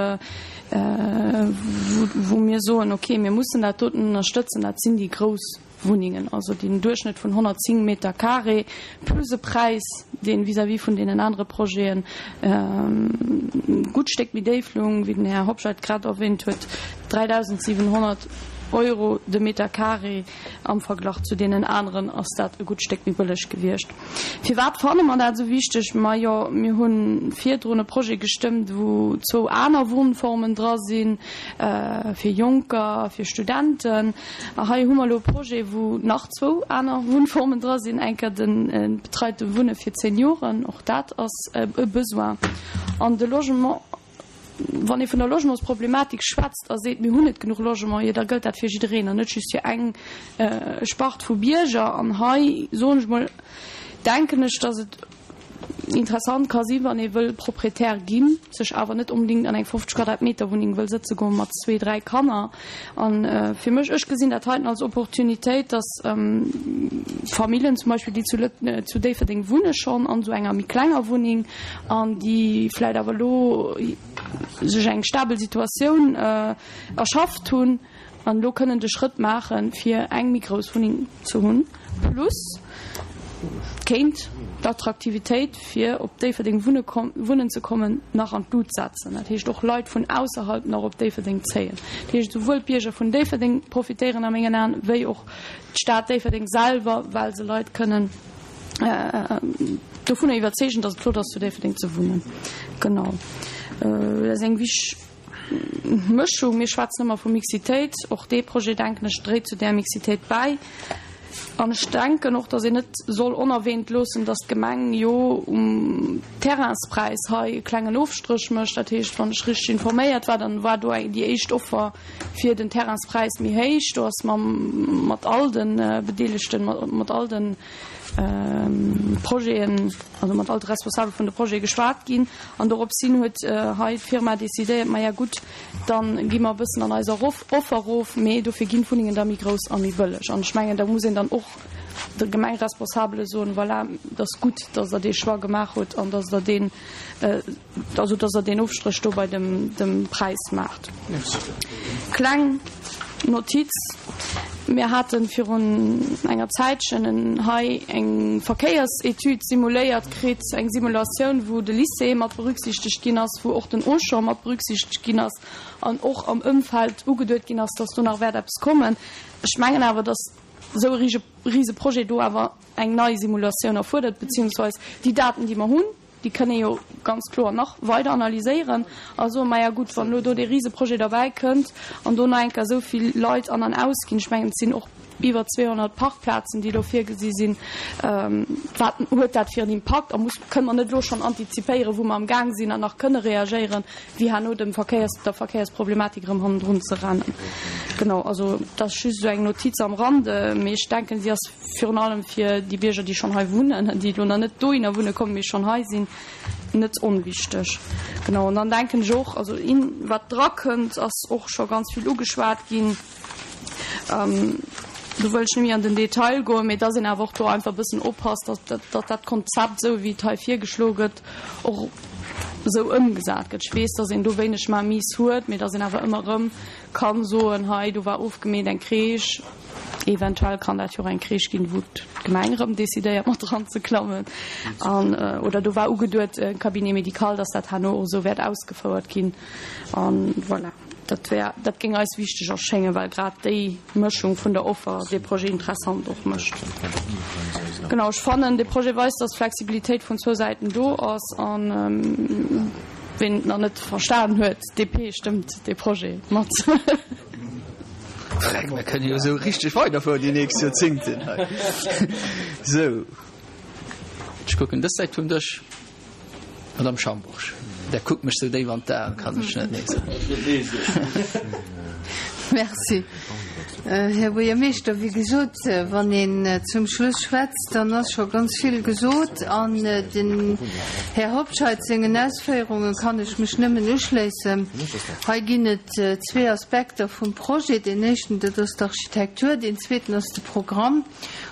wou mir soen, okay, mir mussen dat doten ënnerstëtzen, dat sinn déi grouss Wunnengen, also den Duerchschnëtt vun honnertzéng Meter carré plus e Präis, dee vis-à-vis vun deenen anere Projeten e gutt Stéck méi déif loung, wéi den Här Hobscheit grad erwähnt huet, dräidausendsiwenhonnert Euro de Meter carré. Am Verglach zu deenen aneren ass dat e gutt Stéck méi bëlleg gewiescht. Firwat fanne mer dat esou wichteg? Majo, mir hu virdrun e Projet gestëmmt, wou zwou aner Wunnformen dra sinn, fir Jonker, fir Studenten. A hei hu mer elo e Projet, wou nach zwou aner Wunnformen dra sinn, eng Kéier de betreite Wunne fir d'Senioren, och dat ass e Besoin, an de Logement. Wann ee vun der Logementsproblematik schwätzt a seet, mir hunn net genuch Logement, jo da gëllt dat fir jiddereen an net just fir eng Spart vu Bierger. An hei, soen ech mol, denken ech, datt et interessant ka sinn, wann ee wëll Proprietär ginn, sech awer net onbedéngt an eng fofzeg Quadratmeter Wunneng wëll sëtze goen mat zwee, dräi Kanner. An fir mech, ech gesinn dat heiten als Opportunitéit, datt Familljen zum Beispill, déi zu Lët, zu Déifferdeng wunne schonn an esou enger méi klenger Wunneng an déi vläicht awer elo sech eng stabel Situatioun erschafft hunn an elo kënnen de Schrëtt maachen, fir eng méi grouss Wunneng ze hunn, plus kéint d'Attraktivitéit, fir op Déifferdeng wunne wunnen ze kommen, nach an d'Lut setzen. Dat heescht och Leit vun ausserhalb nach op Déifferdeng zéien. Dat heescht esouwuel d'Bierger vun Déifferdeng profitéieren a mengen Aen, wéi och d'Stad Déifferdeng selwer, well se Leit kënnen dovunner iwwerzeegen, dass et flott ass zu Déifferdeng ze wunnen. Genau. Dat ass eng wich Mëschung. Mir schwätzen ëmmer vu Mixitéit. Och dee Projet, denken ech, dréit zu där Mixitéit bäi. An ech denken och, dass een net soll onerwähnt loossen, dass d'Gemeng jo um Terrainspräis hei e klengen Ofstréch mécht. Dat heescht, wann ech richteg informéiert war, dann war do déi éischt Offer fir den Terrainspräis méi héich. Do ass mam, mat all de Bedeelegten, mat all de Projeten, also mat all de Responsabele vun de Projete geschwat ginn. An doropshin huet hei d'Firma decidéiert, Maja gutt, da gi mer e bëssen an eiser Offer erof, mee dofir ginn d'Wunnengen da méi grouss a méi bëlleg. An ech mengen, da muss een dann och de Gemengeresponsabele soen, Voilà, et ass gutt, datt Der dee Choix gemaach hutt an datt Der deen, also datt Der deen Ofstréch do bei dem, dem Präis maacht. Kleng Notiz, Mir hate virun enger Zäitchen hei eng Verkéiersetüd simuléiert kritt, eng Simulatioun, wou de Lycée mat berücksichtegt ginn ass, wou och den Auchan mat berücksichtegt ginn ass an och am Ëmfeld ugeduet ginn ass, dass do nach wäert eppes kommen. Ech mengen awer, dass esou e rise Projet do awer eng nei Simulatioun erfuerdert, beziehungsweis déi Daten, déi mer hunn, déi kënn ee jo ganz kloer nach weider analyséieren a soen, Maja gutt, wann elo do dee Riseprojet derbäi kënnt an do nach eng Kéier esou vill Leit an an ausginn, ech mengen, et sinn och iwwer zweehonnert Parkplazen, déi do virgesi sinn, wat huet dat fir en Impakt a muss, kënne mer net elo schonn antizipéieren, wou mer am Gaang sinn an nach kënne reagéieren, wéi herno dem Verkéiers, der Verkéiersproblematik erëm hannendrun ze rennen. Genau, also dat ass just esou eng Notiz am Rande, mee ech denken, si ass virun allem fir déi Bierger, déi schonn hei wunnen, déi elo nach net dohinner wunne kommen, mee schonn hei sinn, net onwichteg. Genau, an dann denken ech och, also in, wat drakënnt, ass och scho ganz vill ugeschwat ginn, do wëll ech net méi an den Detail goen, mee dass een awer och do einfach e bëssen oppasst, dass dat dat Konzept, esou wéi et hei virgeschloe gëtt, och esou ëmgesat gëtt. Ech weess, dass een do wéineg Mainmise huet, mee dass een awer ëmmer erëm ka soen, hei do war ofgemeet eng Crèche, eventuell kann dat jo och eng Crèche ginn, wou d'Gemeng erëm decidéiert mat dran ze klammen, an oder do war ugeduet e Cabinet médical, dass dat herno och esou wäert ausgefouert ginn. An voilà. Dat wär, dat géing eis wichteg erschéngen, well grad déi Mëschung vun der Offer dee Projet interessant och mécht. Genau, ech fannen, de Projet weist, dass Flexibilitéit vun zwou Säiten do ass an ween et nach net verstanen huet, D P stëmmt dee Projet mat. Freck, mir kënne jo esou richteg weiderfueren déi nächst Joerzéngten hei. Sou. Ech kucken dës Säit vum Dësch. Madame Schambourg, Der kuckt mech sou déif an d'Aen, kann ech net nee soen. Merci. Här Buergermeeschter, wéi gesot, wann een zum Schluss schwätzt, dann ass scho ganz vill gesot. An den Här Hobscheit sengen Ausféierunge kann ech mech nëmmen uschléissen. Hei ginn et zwee Aspekter vum Projet. Deen éischten, dat ass d'Architektur, deen zweeten ass de Programm,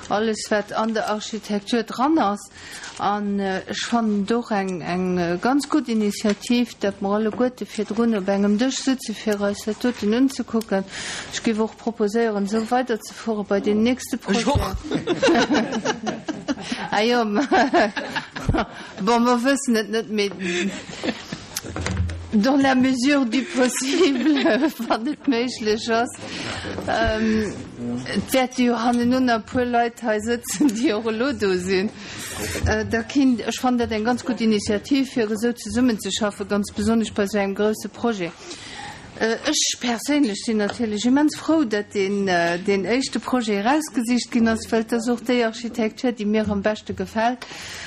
alles wat an der Architektur dran ass. An ech fannen et och eng eng ganz gutt Initiativ, datt mer alleguerte virdrun op engem Dësch sëtze fir eis dat doten unzekucken. Ech géif och proposéieren, esou weiderzefuere bei deenen nächste Projeten. Ah jo, bon, mer wëssen et net, mee dans la mesure du possible, wann et méiglech ass. Et wäerte jo hannenun e puer Leit hei sëtzen, déi och elo do sinn. Da kinnt, ech fannen dat eng ganz gutt Initiativ, fir esou zesummenzeschaffen, ganz besonnesch bei esou engem grouse Projet. Ech perséinlech sinn natierlech immens frou, datt deen, deen éischte Projet erausgesicht ginn ass, well et ass och déi Architektur, déi mir am beschte gefält.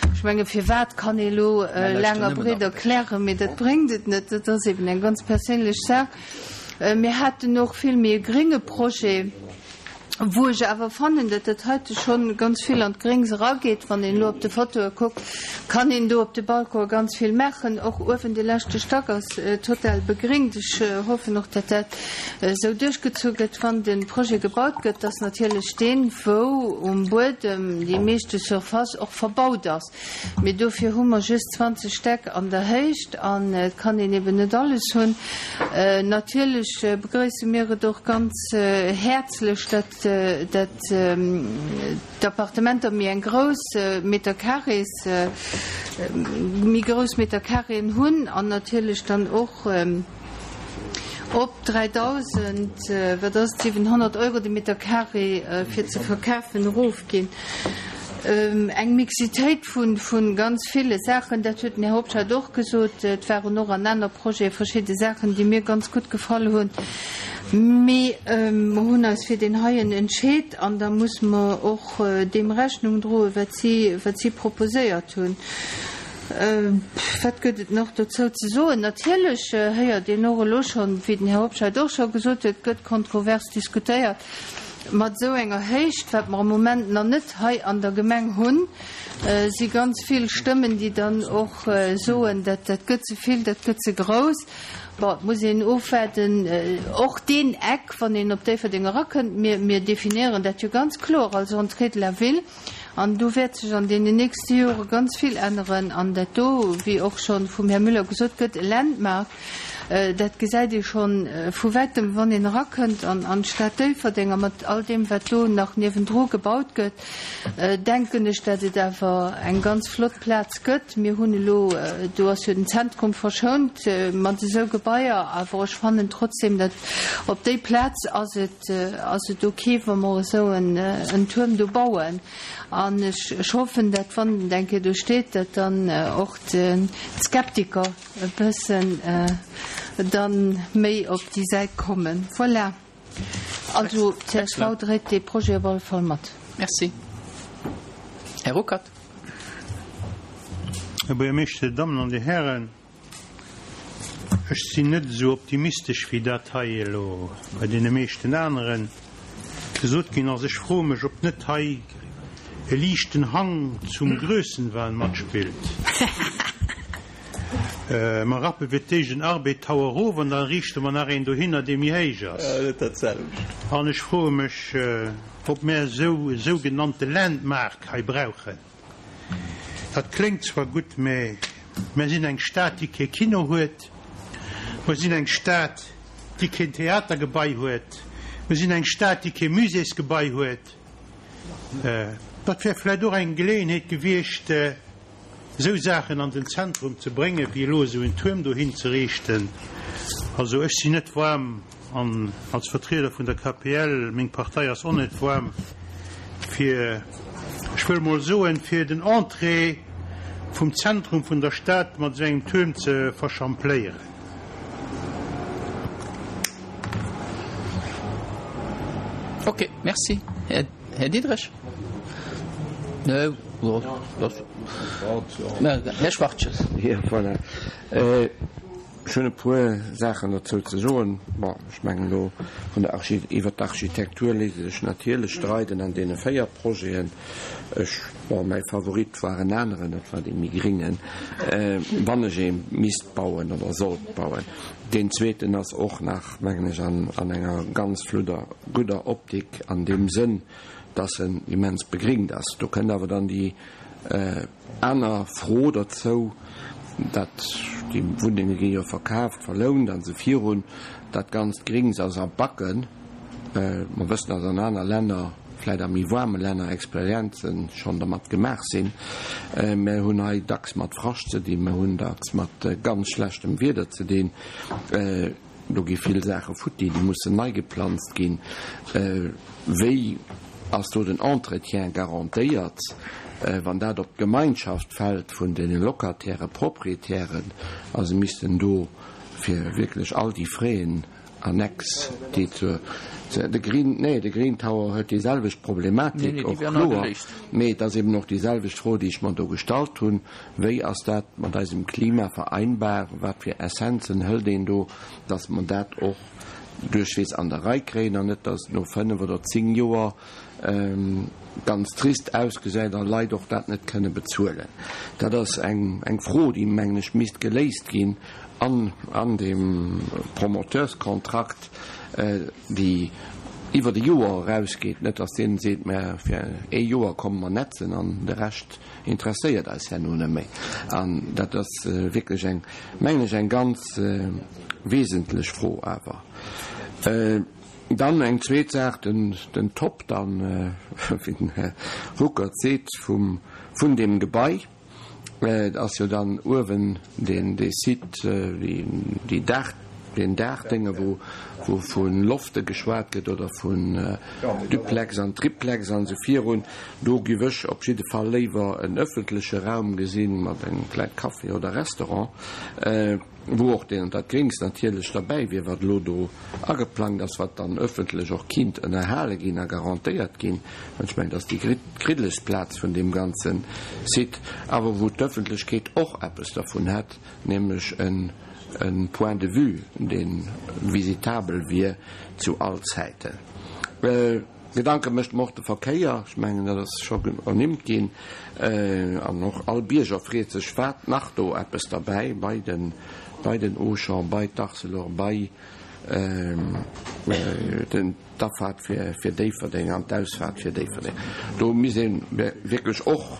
Ech menge firwat kann ee elo laang a breet erklären, mee dat bréngt et net. Dat ass eben eng ganz perséinlech Saach. Mir haten och vill méi e grénge Projet, wou ech awer fannen, datt dat heite schonn ganz vill an d'Gréngs erageet. Wann een elo op de Fotoe kuckt, kann een do op de Balcone ganz vill maachen. Och uewen de leschte Stack ass total begréngt. Ech hoffen och, datt dat esou duerchgezu gëtt, wann de Projet gebaut gëtt. Dass natierlech deen, wou um Buedem déi meeschte Surface och verbaut ass. Mee dofir hu mer just zwanzeg Stäck an der Héicht an et kann een eben net alles hunn. Natierlech begrëisse mir et och ganz häerzlech, datt datt d'Appartementer méi eng grouss Metercarrés, méi grouss Metercarréen hunn an natierlech dann och op dräidausend, wat ass et, siwenhonnert Euro de Metercarré fir ze verkafen erofginn. Eng Mixitéit vu ganz ville Saachen, dat huet den Här Hobscheit och gesot. Et waren och an aner Projete verschidde Saachen, déi mir ganz gutt gefall hunn. Mee mer hunn eis fir deen heien entscheet an da musse mer och deem Rechnung droen, wat si, wat si proposéiert hunn. Wat gëtt et nach dozou ze soen? Natierlech héiert een och elo schonn, wéi den Här Hobscheit och scho gesot huet, gëtt kontrovers diskutéiert. Mat esou enger Héicht, wat mer am Moment nach net hei an der Gemeng hunn, si ganz vill Stëmmen, déi dann och soen, dat dat gëtt ze vill, dat gëtt ze grouss. Bon, et muss een ofwaarden. Och deen Eck, wann een op Déifferdeng erakënnt, mir, mir definéieren dat jo ganz kloer als Entrée de la ville, an do wäert sech an deenen nächste Jore ganz vill änneren. An dat do, wéi och scho vum Här Müller gesot gëtt, e Landmark, Dat gesäit ee scho vu wäitem, wann een erakënnt an d'Stad Déifferdeng. A mat all deem, wat do nach niewendru gebaut gëtt, denken ech, datt et awer eng ganz flott Plaz gëtt. Mir hunn elo, do ass jo den Zentrum verschount mat esou Gebaier, awer ech fannen trotzdem, datt op déi Plaz ass et, ass et ok, wa mer esou en Tuerm do bauen. An ech hoffen, datt, wann en eng Kéier do steet, datt dann och d'Skeptiker e bëssen dann méi op déi Säit kommen. Voilà. Also C S V dréit dee Projet op alle Fall mat. Merci. Här Ruckert. Här Buergermeeschter, Dir Dammen an Dir Hären, ech sinn net esou optimistesch, wéi dat hei elo bei deene meeschten anere gesot ginn ass. Ech froe mech, ob net hei e liichten Hang zum Grössenwahn matspillt. Mer rappe fir d'éischt en Arbed-Tower erof an da riichte mer nach een dohinner, dee méi héich ass. An ech froe mech, ob mer esou e sougenannte Landmark hei brauchen. Dat kléngt zwar gutt, mä mer sinn eng Stad, déi kee Kino huet. Mer sinn eng Stad, déi keen Theatergebai huet. Mer sinn eng Stad, déi kee Muséesgebai huet. Dat wär vläicht och eng Geleeënheet gewiescht, esou Saachen an den Zentrum ze bréngen, wéi elo esou en Tuerm dohin ze riichten. Also ech sinn net waarm an als Vertrieder vun der K P L, meng Partei ass och net waarm fir, ech wëll mol soen, fir den Entrée vum Zentrum vun der Stad mat esou engem Tuerm ze verschampléieren. Ok, merci. Här, Här Diderich? Nee, jo, das. Här Schwartjes. Ja, voilà. Ech hunn e puer Saachen dozou ze soen. Bon, ech mengen elo vun der Archi-, iwwert d'Architektur léisst sech natierlech streiden an deene véier Projeten. Ech, bon, mäi Favorit war en aneren, dat war dee méi gringen, wann ech ee misst bauen oder sollt bauen. Deen zweeten ass och nach, mengen ech, an, an enger ganz fludder, gudder Optik an deem Sënn, dass en immens begringt ass. Do kënnt awer dann déi aner Fro derzou, dat, déi Wunnenge gi jo verkaaft, verlount a sou virun, dat ganzt Grings ass a Backen. Mer wëssen, datt an aner Länner, vläicht a méi waarme Länner, Experienze schonn dermat gemaach sinn. Mer hunn hei dacks mat Frascht ze dinn, mer hunn dacks mat ganz schlechtem Wieder ze dinn. Do gi vill Saache futti, déi mussen nei geplanzt ginn. Wéi ass do den Entretien garantéiert, wann dat op d'Gemeinschaft fält vun deene Locatairen, Proprietären? A se missten do fir wierklech all déi Frais annexes, déi zur, de Green, nee, de Green Tower huet déi selwecht Problematik, och kloer, mee et ass eben och déi selwecht Fro, déi ech mer do gestallt hunn, Wéi ass dat mat eisem Klima vereinbar, wat fir Essenzen hëlt een do, dass mer dat och duerchweegs an der Rei kréien an net, dass et no fënnef oder zéng Joer ganz trist ausgesäit a Leit och dat net kënne bezuelen. Dat ass eng eng Fro, déi, mengen ech, misst geléist ginn an an deem Promoteurskontrakt, déi iwwert e Joer erausgeet, net dass deen seet, mä fir ee Joer komme mer netzen an de Rescht interesséiert eis herno net méi. An dat ass wierklech eng, mengen ech, eng ganz wesentlech Fro awer. Dann eng zweet Saach, den, den Top dann, wéi den Här Ruckert seet, vum, vun deem Gebai. Et ass jo dann uewen deen, dee Site, déi, déi Daach, deen Daachdénge wou, wou vu Lofte geschwat gëtt oder vun Duplex an Triplex an esou virun. Do giff ech op jidde Fall léiwer en öffentleche Raum gesinn mat engem vläit Café oder Restaurant. wou och deen dat Gréngs natierlech derbäi wier, wat elo do ageplangt ass, wat dann öffentlech och kinnt ënnerhale ginn a garantéiert ginn, well ech mengen, dat ass déi kriddelegst Plaz vun deem ganze Site, awer wou d'Öffentlechkeet och eppes dervun hätt, nämlech en Point de vue, dee visitabel wier zu all Zäiten. Gedanke mécht mer och de Verkéier. Ech mengen, dat ass scho ernimmt ginn. An och all Bierger freet sech, Wat nach do eppes derbäi bei den, bei den Auchan, bei d'Arcelor, bei den, d'Afaart fir, fir Déifferdeng an d'Ausfaart fir Déifferdeng? Do misst ee wierklech och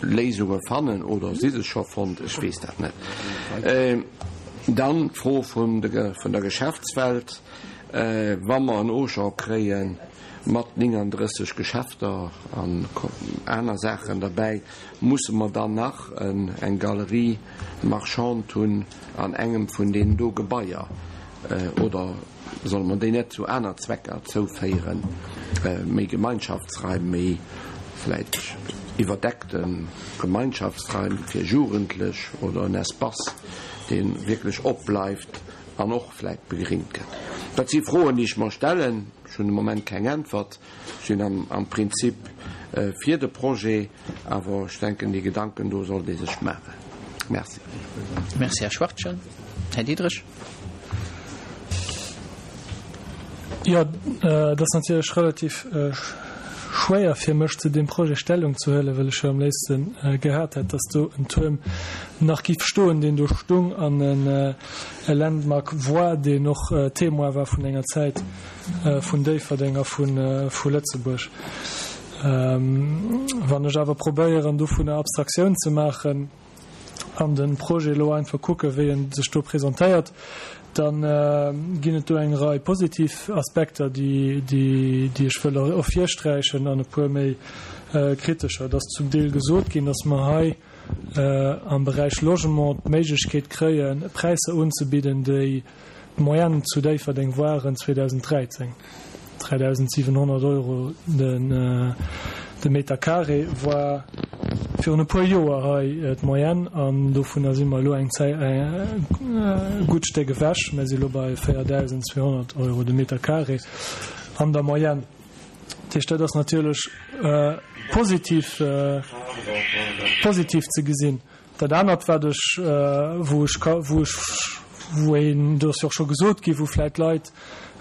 Léisunge fannen, oder si se scho fonnt? Ech weess dat net. Dann d'Fro vun de, vun der Geschäftswelt. Wa mer en Auchan kréie mat nénganddrësseg Geschäfter an aner Saachen derbäi, musse mer dann nach eng Galerie marchande hunn an engem vun deenen do Gebaier oder solle mer déi net zu aner Zwecker zouféieren, méi Gemeinschaftsraim, méi vläicht iwwerdeckte Gemeinschaftsraim fir Jugendlech oder en Espace, dee wierklech opbleift? An och vläit begringt gëtt. Dat si Froen, déi ech mer stellen. Ech hunn de Moment keng Äntwert. Ech sinn am Prinzip fir de Projet, awer ech denken, déi Gedanken do sollt ee sech maachen. Merci. Merci, Här Schwachtgen. Här Diderich. Jo, et ass natierlech relativ schwéier fir mech, zu deem Projet Stellung ze huelen, well ech jo am léifste gehat hätt, dass do en Tuerm nach giff stoen, deen do stung an e Landmark war, deen och Témoin war vun enger Zäit vun Déifferdeng a vu Lëtzebuerg. Wann ech awer probéieren, dovunner Abstraktioun ze maachen an de Projet elo einfach kucken, wéi en sech do presentéiert, da ginn et do eng Rei positiv Aspekter, déi ech wëll ervirsträichen, an e puer méi kritescher. Et ass zum Deel gesot ginn, dass mer hei am Beräich Logement d'Méiglechkeet kréien, Präisser unzebidden, déi d'Moyenne zu Déifferdeng waren zweedausenddräizéng, dräidausentsiwenhonnert Euro de Meter carré war virun e puer Joer hei d'Moyenne an dovunner si mer elo eng Zäit, e gutt Stéck ewech. Mir si elo bei véierdausenzweehonnert Euro de Meter carré an der Moyenne. Dat heescht, dat ass natierlech positiv, positiv ze gesinn. Dat anert, wat ech, wou ech ka, wou ech, wou een, do ass jo och scho gesot ginn, wou vläicht Leit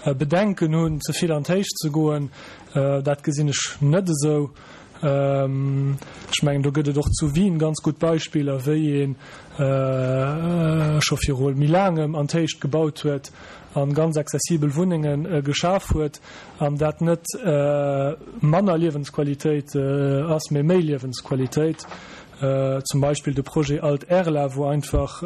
Bedenken hunn, ze vill an d'Héicht ze goen, dat gesinn ech net esou. Ech mengen, do gëtt et och zu Wien ganz gutt Beispiller, wéi ee scho viru méi laangem an d'Héicht gebaut huet a ganz accessibel Wunnenge geschaf huet an dat net manner Liewensqualitéit ass, mee méi Liewensqualitéit. Zum Beispill de Projet Alt Erla, wou einfach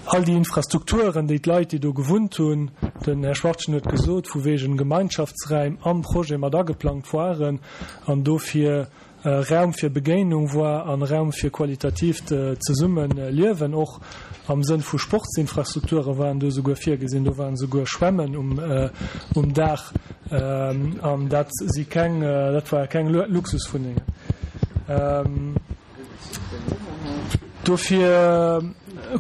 all déi Infrastrukturen, déi d'Leit, déi do gewunnt hunn, den Här Schwachtgen huet gesot, vu wegen Gemeinschaftsräim am Projet mat ageplangt waren an dofir Raum fir Begéinung war an Raum fir qualitatiivt Zesummeliewen, och am Sënn vu Sportsinfrastrukture waren do souguer virgesinn, do waren souguer Schwämmen um Daach an dat si keng, dat ware keng Luxuswunnengen. Dofir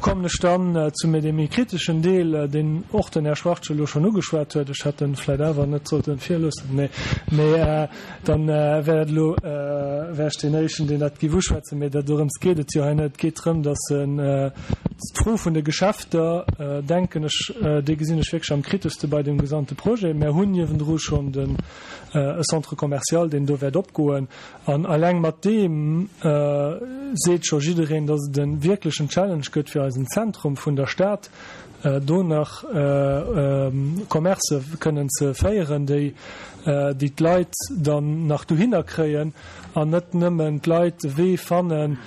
kommen ech dann zu deem méi kriteschen Deel, deen och den Här Schwachtgen elo schonn ugeschwat huet. Ech hätt en vläicht awer net sollten virloossen, mee, mee dann wär dat elo, wär ech deen Éischten, deen dat géif uschwätzen. Mee dat, dorëms geet et jo hei net. Et geet drëm, dass en d'Fro vun de Geschäfter, denken ech, déi gesinn ech wierklech am kriteschste bei deem gesamte Projet. Mär hunn niewendru schonn den e Centre commercial, deen do wäert opgoen. An eleng mat deem seet scho jiddereen, dass et e wierklechen Challenge gëtt fir eisen Zentrum vun der Stad, do nach Commercë kënnen ze féieren, déi déi d'Leit dann nach dohinner kréien an net nëmmen d'Leit de Wee fannen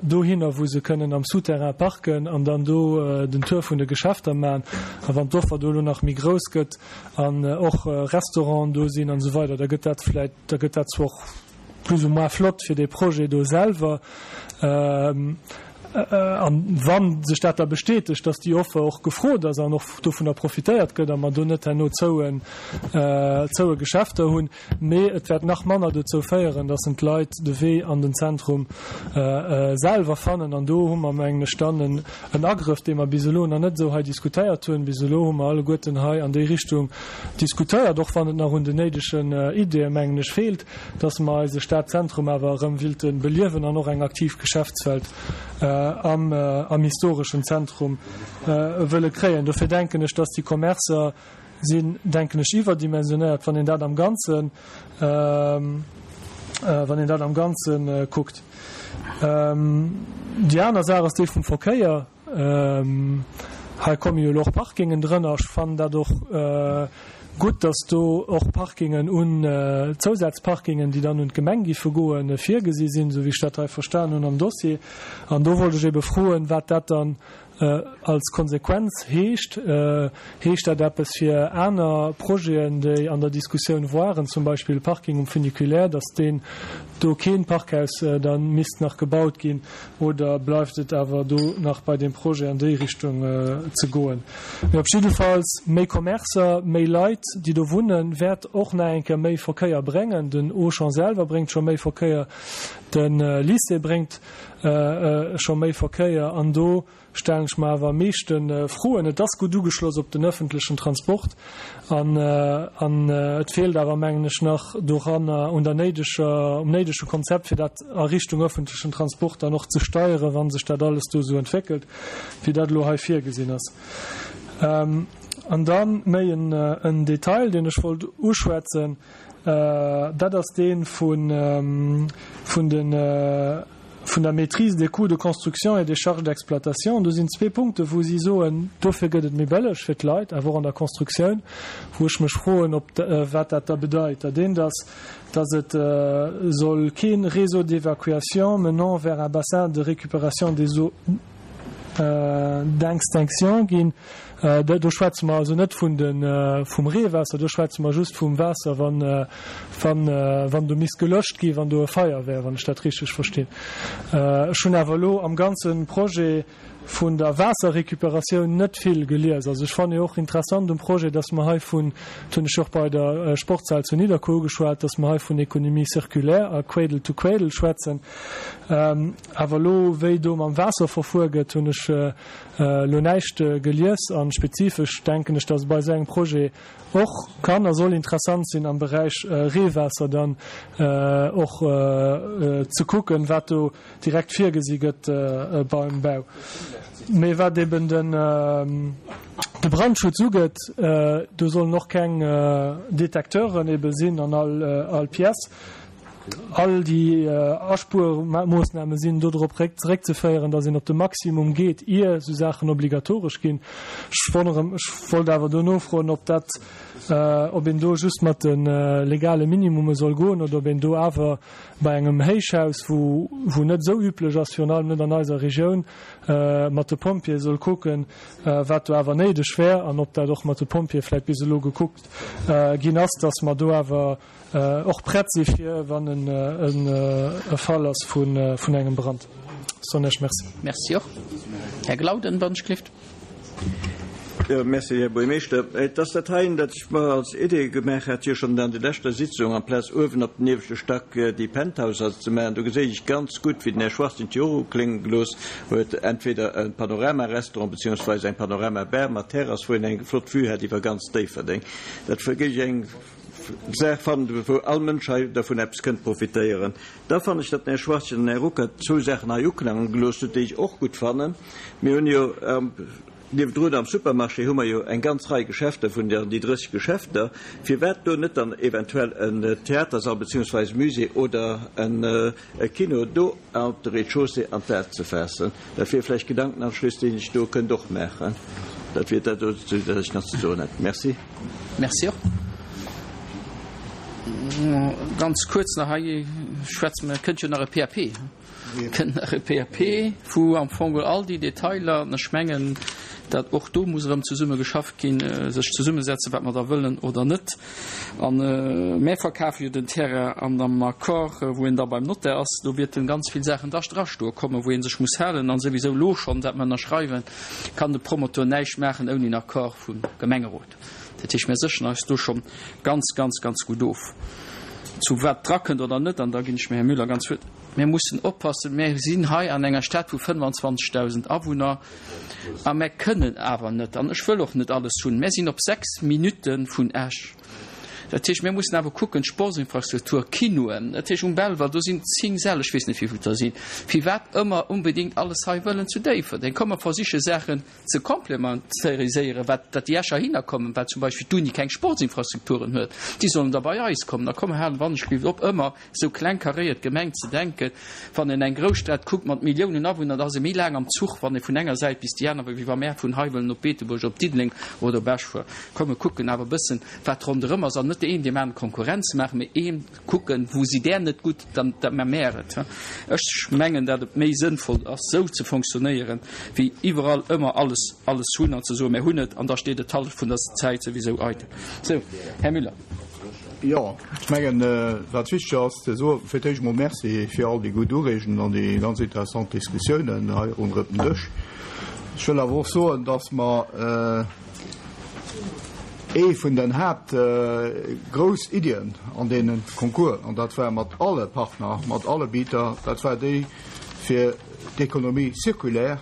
dohinner, wou se kënnen am Souterrain parken an dann do den Tour vun de Geschäfter maachen. A wann d'Offer do elo nach méi grouss gëtt an och Restauranten do sinn an esou weider, da gëtt dat vläicht, da gëtt dat zwar och plus ou moins flott fir dee Projet do selwer. A wa sech dat da bestätegt, dass déi Offer och gefrot ass an och dovunner profitéiert gëtt a mer do net herno zoue, zoue Geschäfter hunn, mee et wäert nach manner dozou féieren, dass en d'Leit de Wee an den Zentrum selwer fannen. An do hu mer, mengen ech, dann en Agrëff, dee mer bis elo nach net esou hei diskutéiert hunn. Bis elo hu mer alleguerten hei an déi Richtung diskutéiert, och wann et nach un den néidegen Ideeë, mengen ech, feelt, dass mer eise Stadzentrum awer erëm willte beliewen an och eng aktiv Geschäftswelt am, am historeschen Zentrum wëlle kréien. Dofir denken ech, dass déi Commercer sinn, denken ech, iwwerdimensionéiert, wann een dat am Ganzen, wann een dat am Ganze kuckt. Déi aner Saach ass déi vum Verkéier. Hei komme jo elo och Parkingen drënner. Ech fannen dat och gutt, dass do och Parkingen un, Zousazparkingen, déi dann un d'Gemeng giffe goen, virgesi sinn, esou wéi ech dat hei verstan hunn am Dossier. An do wollt ech ebe froen, wat dat dann als Konsequenz heescht. Heescht dat eppes fir aner Projeten, déi an der Diskussioun waren, zum Beispill Parking um Funiculaire, dass deen do keen Parkhaus dann misst nach gebaut ginn, oder bleift et awer do nach bei deem Projet an déi Richtung ze goen? Mee op jiddefalls, méi Commercer, méi Leit, déi do wunnen, wäert och nach eng Kéier méi Verkéier bréngen. Den Auchan selwer bréngt scho méi Verkéier, de Lycée bréngt scho méi Verkéier an do stellen ech mer awer am meeschte Froen. Et ass gutt ugeschloss op den öffentlechen Transport an an et feelt awer, mengen ech, nach doranner un der néideger, um néidege Konzept, fir dat a Richtung öffentlechen Transport dann och ze steieren, wa sech dat alles do esou entwéckelt, wéi dat elo hei virgesinn ass. An da méi en en Detail, deen ech wollt uschwätzen, dat ass dee vun vun den, vun der Maîtrise des coûts de construction et des charges d'exploitation. Do sinn zwee Punkte wou si soen, dofir gëtt et méi bëlleg fir d'Leit, awer och an der Constructioun, wou ech mech froen, ob wat dat da bedeit. Dat eent ass, dass et soll kee Réseau d'évacuation menant vers un bassin de récupération des eaux d'extinction ginn. Do schwätze mer also net vun de vum Reewaasser, do schwätze mer just vum Waasser, wann wann wann do misst gelöscht gi wann do e Feier wär, wann ech dat richteg verstinn. Ech hunn awer elo am ganze Projet vun der Waasserrecuperatioun net vill gelies. Also ech fanne jo och interessant um Projet, dass mer hei vun, dat hunn ech och bei der Sportshal zu Nidderkuer ugeschwat, dass mer hei vun Économie circulaire a Cradle to Cradle schwätzen. Awer elo, wéi do mam Waasser verfuer gëtt, hunn ech elo näischt gelies. A spezifesch denken ech, dass et bei esou engem Projet och kann a soll interessant sinn, am Beräich Reewaasser dann och ze kucken, wat do direkt virgesi gëtt beim Bau. Mee wat eben de Brandschutz ugeet, do sollen och keng Detekteuren ebe sinn an all Pièce. All déi Aspuermoossname sinn dodrop zeréckzeféieren, datt een op de Maximum geet, ier esou Saachen obligatoresch ginn. Ech wonnere, ech wollt awer do nofroen, ob dat, ob een do just mat de legale Minimume soll goen oder ob een do awer bei engem Héichhaus, wou, wou net esou üblech ass, virun allem net an eiser Regioun, mat de Pompjeeë soll kucken, wat do awer néideg wär an ob dat och mat de Pompjeeë vläicht bis elo gekuckt ginn ass, datt mer do awer och prett si fir wann e Fall ass vun engem Brand. Soen ech Merci. Merci och. Här Glauden, wann ech gelift. Jo, merci, Här Buergermeeschter. Et ass dat heien, dat ech mer als Idee gemaach hat, jo schonn an der leschter Sitzung, amplaz uewen op den ieweschte Stack déi Penthouser ze maachen, do geséich ech ganz gutt, wéi den Här Schwarz et jo och uklénge gelooss huet, entweder e Panorama-Restaurant beziehungsweise eng Panorama-Bar mat Terrass, wou een eng flott Vue hätt iwwer ganz Déifferdeng. Dat géif ech eng Saach fannen, wou all Mënsch hei dervun eppes kënnt profitéieren. Da fannen ech, datt den Här Schwarzchen an den Här Ruckert zwou Saachen hei uklange gelooss hutt, déi ech och gutt fannen. Mir hunn jo niewendrun am Supermarché hu mer jo eng ganz Rei Geschäfter vun der déi drësseg Geschäfter. Firwat do net dann eventuell en Theatersall beziehungsweise Musée oder e Kino do op de Rez-de-chaussée an d'A ze faassen? Dat wier vläicht Gedankenanschlüss, deen ech do kënnt och maachen. Dat wier dat dozou, dat ech nach ze soen hätt. Merci. Merci och. Ganz kuerz nach, hei schwätze mer, kënnt jo nach e P A P, kënnt nach e P A P, wou am Fong all déi Detailer, an ech mengen, dat och do muss erëm zesumme geschafft ginn, sech zesummesetzen, wat mer da wëllen oder net. An mär verkafe jo den Terrain an am Accord, wou en da beim Notaire ass, do wäerten ganz vill Saachen da drastoe kommen, wou ee sech muss halen. An souwisou elo schonn, dat mer ënnerschreiwen, kann de Promoteur näischt maachen ouni en Accord vum Gemengerot. Dat heescht, mir sécheren eis do schonn ganz, ganz, ganz gutt of, zu wat drakënnt oder net. An da ginn ech dem Här Müller ganz d'Wuert. Mir mussen oppassen, mir sinn hei an enger Stad vu fënnefanzwanzegdausend Awunner a mir kënnen awer net, an ech wëll och net alles hunn, mir sinn op sechs Minutte vun Esch. Dat heescht, mir mussen awer kucken, d'Sportsinfrastruktur, Kinoen, dat heescht um Belval, do sinn zéng Säll, ech weess net wéi vill der sinn, firwat ëmmer unbedéngt alles hei wëllen zu Déifferdeng. Komm mer versiche Saachen ze complémentariséieren, wat datt déi Escher hinner kommen, well zum Beispill d'Uni keng Sportsinfrastrukturen huet, déi sollen da bei eis kommen. Da komm halen wann ech gelift op ëmmer esou kleng karéiert Gemeng ze denken. Wann een eng Grousstad kuckt mat Milliounen Awunner, da ass ee méi laang am Zuch, wann ee vun enger Säit bis déi aner, wéi wa mär vun hei wëllen op Beetebuerg, op Diddeleng oder op Esch fueren. Komm mer kucken awer e bëssen, wat ronderëm ass, an net een deem anere Konkurrenz maachen, mee een kucken, wou si där net gutt, dann dat mä mär et. Ech mengen, datt et méi sënnvoll ass, esou ze fonctionnéieren, wéi iwwerall ëmmer alles, alles hunn an ze soen, mär hunn et, an da steet et d'Hallef vun der Zäit souwisou eidel. Sou, Här Müller. Jo, ech mengen, wat wichteg ass ze soen, fir d'éischt emol Merci fir all déi gutt Ureegungen an déi ganz interessant Diskussiounen hei ronderëm den Dësch. Ech wëll awer och soen, dass mer ee vun den Haapt grouss Iddien an deene Concours, an dat war mat alle Partner, mat alle Bieter, dat war déi fir d'Économie circulaire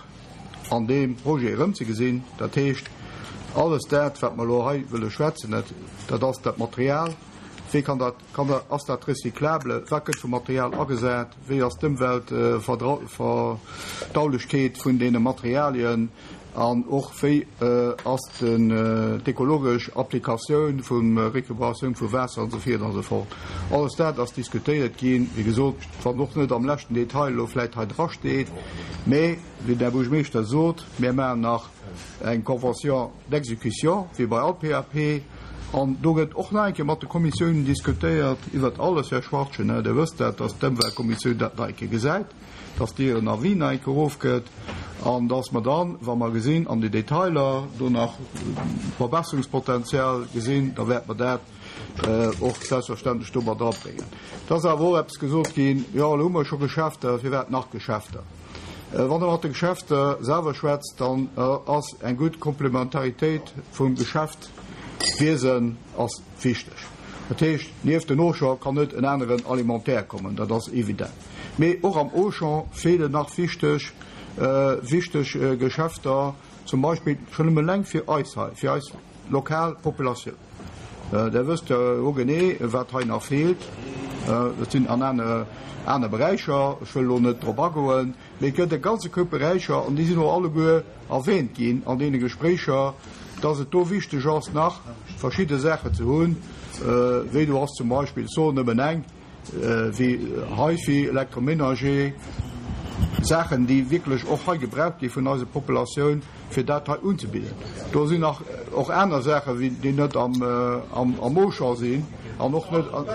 an deem Projet erëmzegesinn. Dat heescht, alles dat, wat mer elo hei wëlle schwätzen, dat ass dat Material, wéi kann dat, kann dat, ass dat recyclable, wat gëtt vu Material agesat, wéi ass d'Ëmweltverdaulichkeet vun deene Materialien an och wéi ass den d'ekologesch Applikatioun vum Recuperatioun vu Waasser an esou virt an esou fort. Alles dat ass diskutéiert ginn, wéi gesot, wann och net am leschten Detail elo vläicht hei drasteet, mä wéi den Här Buergermeeschter sot, mir maachen nach eng Convention d'exécution, wéi bei all P A P, an do gëtt och nach eng Kéier mat de Kommissiounen diskutéiert iwwert alles, Här Schwartchen, Dir wësst dat, dass d'Ëmweltkommissioun dat nach eng Kéier gesäit, dass déi hiren Avis nach eng Kéier ofgëtt. An dass mer dann, wa mer gesinn an de Detailer do nach Verbesserungspotenzial gesinn, da wäerte mer dat och selbstverständlech do mat erabréngen. Et ass awer och eppes gesot ginn, jo elo hu mer scho Geschäfter, firwat nach Geschäfter? Wann Der mat de Geschäfter selwer schwätzt, dann ass eng gutt Komplementaritéit vum Geschäftswiesen ass wichteg. Dat heescht, nieft den Auchan kann net en aneren Alimentaire kommen, dat ass evident. Mee och am Auchan feelen nach wichteg, wichteg Geschäfter, zum Beispill schonn nëmme eleng fir eis hei, fir eis lokal Populatioun. Der wësst jo genee, wat hei nach feelt. Dat sinn an aner, aner Beräicher, ech wëll elo net drop agoen, mee et gëtt e ganze Koup Beräicher, an déi sinn och alleguer erwähnt ginn an deene Gespréicher, dass et do wichteg ass, nach verschidde Saachen ze hunn, wéi do ass zum Beispill, ech soen nëmmen eng, wéi HiFi, Électroménager, Saachen, déi wierklech och hei gebraucht gi vun eiser Populatioun, fir dat hei unzebidden. Do sinn nach och aner Saachen, wéi déi net am, am, am Auchan sinn an och net an.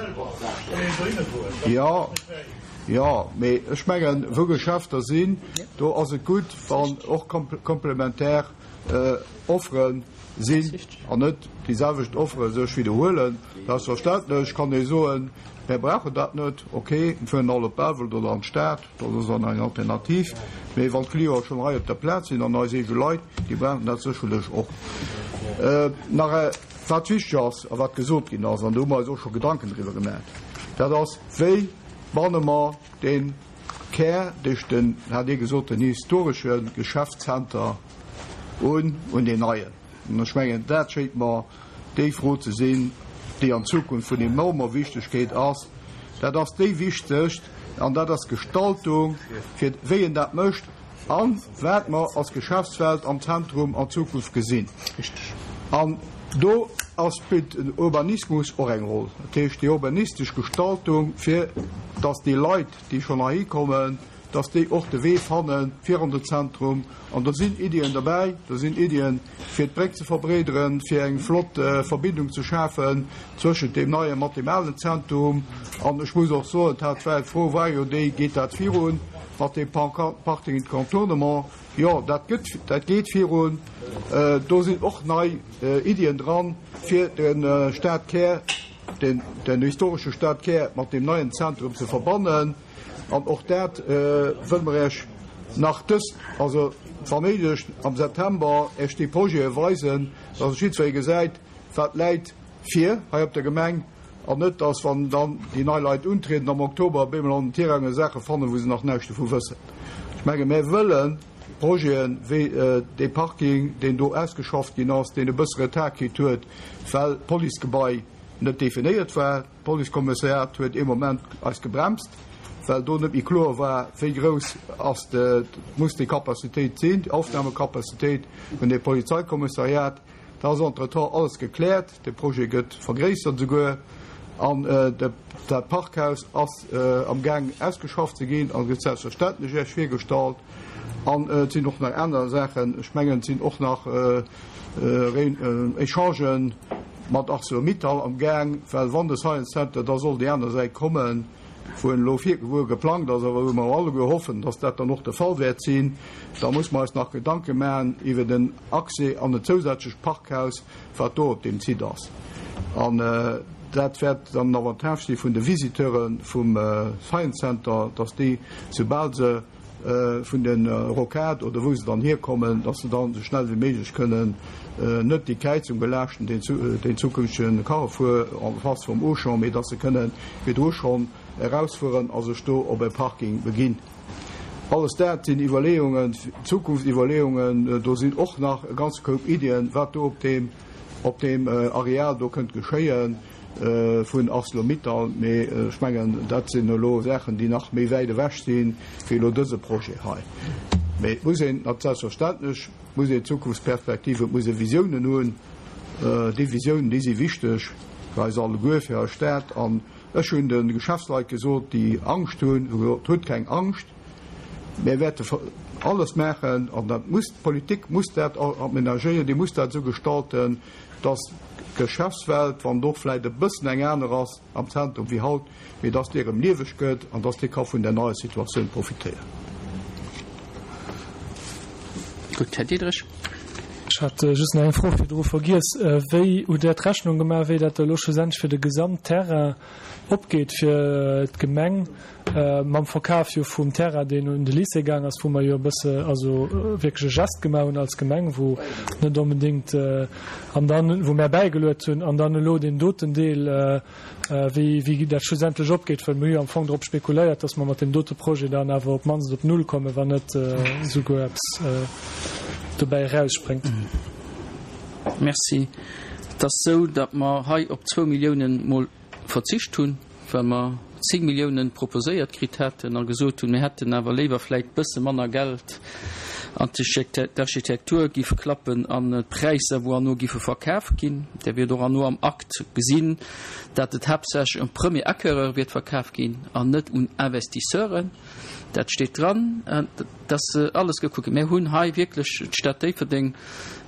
Jo, jo, mee ech mengen, wou Geschäfter sinn, do ass et gutt, wann och komplementär Offere sinn an net déi selwecht Offere sech widderhuelen. Selbstverständlech kann ee soen, Mär brauchen dat net, ok, mir fueren all op Belval oder an d'Stad, dat ass dann eng Alternativ. Mee wann d'Clienten schonn hei op der Plaz sinn an eis eege Leit, déi brauchen dat sécherlech och. Nach wat wichteg ass a wat gesot ginn ass, an do hu mer eis och scho Gedanken driwwer gemaach, dat ass, Wéi banne mer dee Kär duerch den, hat ee gesot, den historesche Geschäftszenter un, un deen neien? An ech mengen, dat schéngt mer déi Fro ze sinn, déi an Zukunft vun enormer Wichtegkeet ass. Dat ass déi wichtegst an dat ass d'Gestaltung, fir wéi een dat mécht a wat mer als Geschäftswelt am Zentrum an Zukunft gesinn. An do ass spillt den Urbanismus och eng Roll, dat heescht déi urbanistesch Gestaltung, fir datt déi Leit, déi schonn heihi kommen, dass déi och de Wee fanne fir an den Zentrum. An do sinn Iddien derbäi, do sinn Iddien, fir d'Bréck ze verbreederen, fir eng flott Verbindung ze schafen zwëschent deem neie mat deem alen Zentrum. An ech muss och soen, dat war, d'Fro war jo déi, Geet dat virun mat deem Parking de contournement? Jo, dat gëtt, dat geet virun. Do sinn och nei Iddien dran, fir de Stadkär, den, den historesche Stadkär mat deem neien Zentrum ze verbannen. An och dat wëlle mer Iech nach dëst, also wa méiglech am September, Iech déi Projete weisen, dass jiddweree gesäit, wat läit vir hei op der Gemeng, an net, dass, wann dann déi nei Leit untrieden am Oktober, op eemol an den Terrainen Saache fannen, wou se nach näischt dovu wëssen. Ech menge mir wëlle Projete wéi dee Parking, deen do ausgeschafft ginn ass, deen e bësse Retard kritt huet, well d'Policegebai net definéiert war. D'Policekommissariat huet ee Moment eis gebremst, well do net méi kloer war, wéi grouss ass de, muss déi Capacitéit sinn, déi Aufnahmecapacitéit vun deem Polizeikommissariat. Dat ass entretemps alles gekläert, de Projet gëtt vergréissert esouguer an dat Parkhaus ass amgaang ausgeschafft ze ginn a gëtt selbstverständlech Iech virgestallt. An et sinn och nach aner Saachen, ech mengen, et sinn och nach Echangen mat Arcelor-Mittal amgaang, well wann de Science Center da soll déi aner Säit kommen, wou en elo vir, wou e geplangt ass a wou mer alleguer hoffen, dass dat dann och de Fall wäert sinn, da muss mer eis nach Gedanke maachen iwwer den Accès an en zousätzlecht Parkhaus, wat do op deem Site ass. An dat wäert dann en Avantage si vun de Visiteure vum Science Center, dass déi, soubal se vun de Rocade oder wou se dann hierkommen, dass se dann esou schnell wéi méiglech kënnen net déi Kräizung belaaschten, deen zukünftege Carrefour en face vum Auchan, mee dass se kënnen virdru schonn erausfueren a sech do op e Parking beginn. Alles dat sinn Iwwerleeungen, Zukunftsiwwerleeungen. Do sinn och nach e ganze Koup Iddien, wat do op deem, op deem Areal do kënnt geschéien vun Arcelor-Mittal. Mee ech mengen, dat sinn elo Saachen, déi nach méi wäit ewech si wéi elo dëse Projet hei. Mee et muss een, selbstverständlech muss een Zukunftsperspektiven, et muss ee Visiounen hunn. Déi Visiounen, déi si wichteg fir eis alleguer, fir eis Stad. An ech hunn de Geschäftsleit gesot, déi Angscht hunn, hu gesot, Hutt keng Angscht, mir wäerte alles maachen, an dat muss, d'Politik muss dat amenagéieren, déi muss dat esou gestalten, dass d'Geschäftswelt, wann et och vläicht e bëssen eng aner ass am Zentrum wéi haut, mee dass déi erëm lieweg gëtt an dass déi ka vun der neier Situatioun profitéieren. Gutt, Här Diderich. Ech hat just nach eng Fro virdru vergiess. Wéi hutt Där d'Rechnung gemaach, wéi dat elo schlussendlech fir de Gesamtterrain opgeet fir d'Gemeng mam Verkaf jo vum Terrain, deen un de Lycée gaang ass, wou mer jo e bësse, also wierklech e Gest gemaach hunn als Gemeng, wou net onbedéngt, an dann, wou mär bäigeluet hunn, an dann elo deen doten Deel, wéi, wéi dat schlussendlech opgeet, well mir hu jo am Fong drop spekuléiert, dass mer mat deem dote Projet dann awer op d'mannst op Null kommen, wann net esouguer eppes dobäi erausspréngt. Merci. Et ass esou, datt mer hei op zwou Milliounen mol verzicht hunn, well mer zéng Milliounen proposéiert kritt haten a gesot hunn, mir hätten awer léiwer vläicht bësse manner Geld an d'Architektur giff klappen an d'Präisser, wou herno giffe verkaf ginn. Där wiert och herno am Akt gesinn, dat et haaptsächlech un Premier Acquéreur wiert verkaf ginn an net un Investisseuren. Dat steet dran, dass alles gekuckt ginn. Mir hunn hei wierklech, d'Stad Déifferdeng,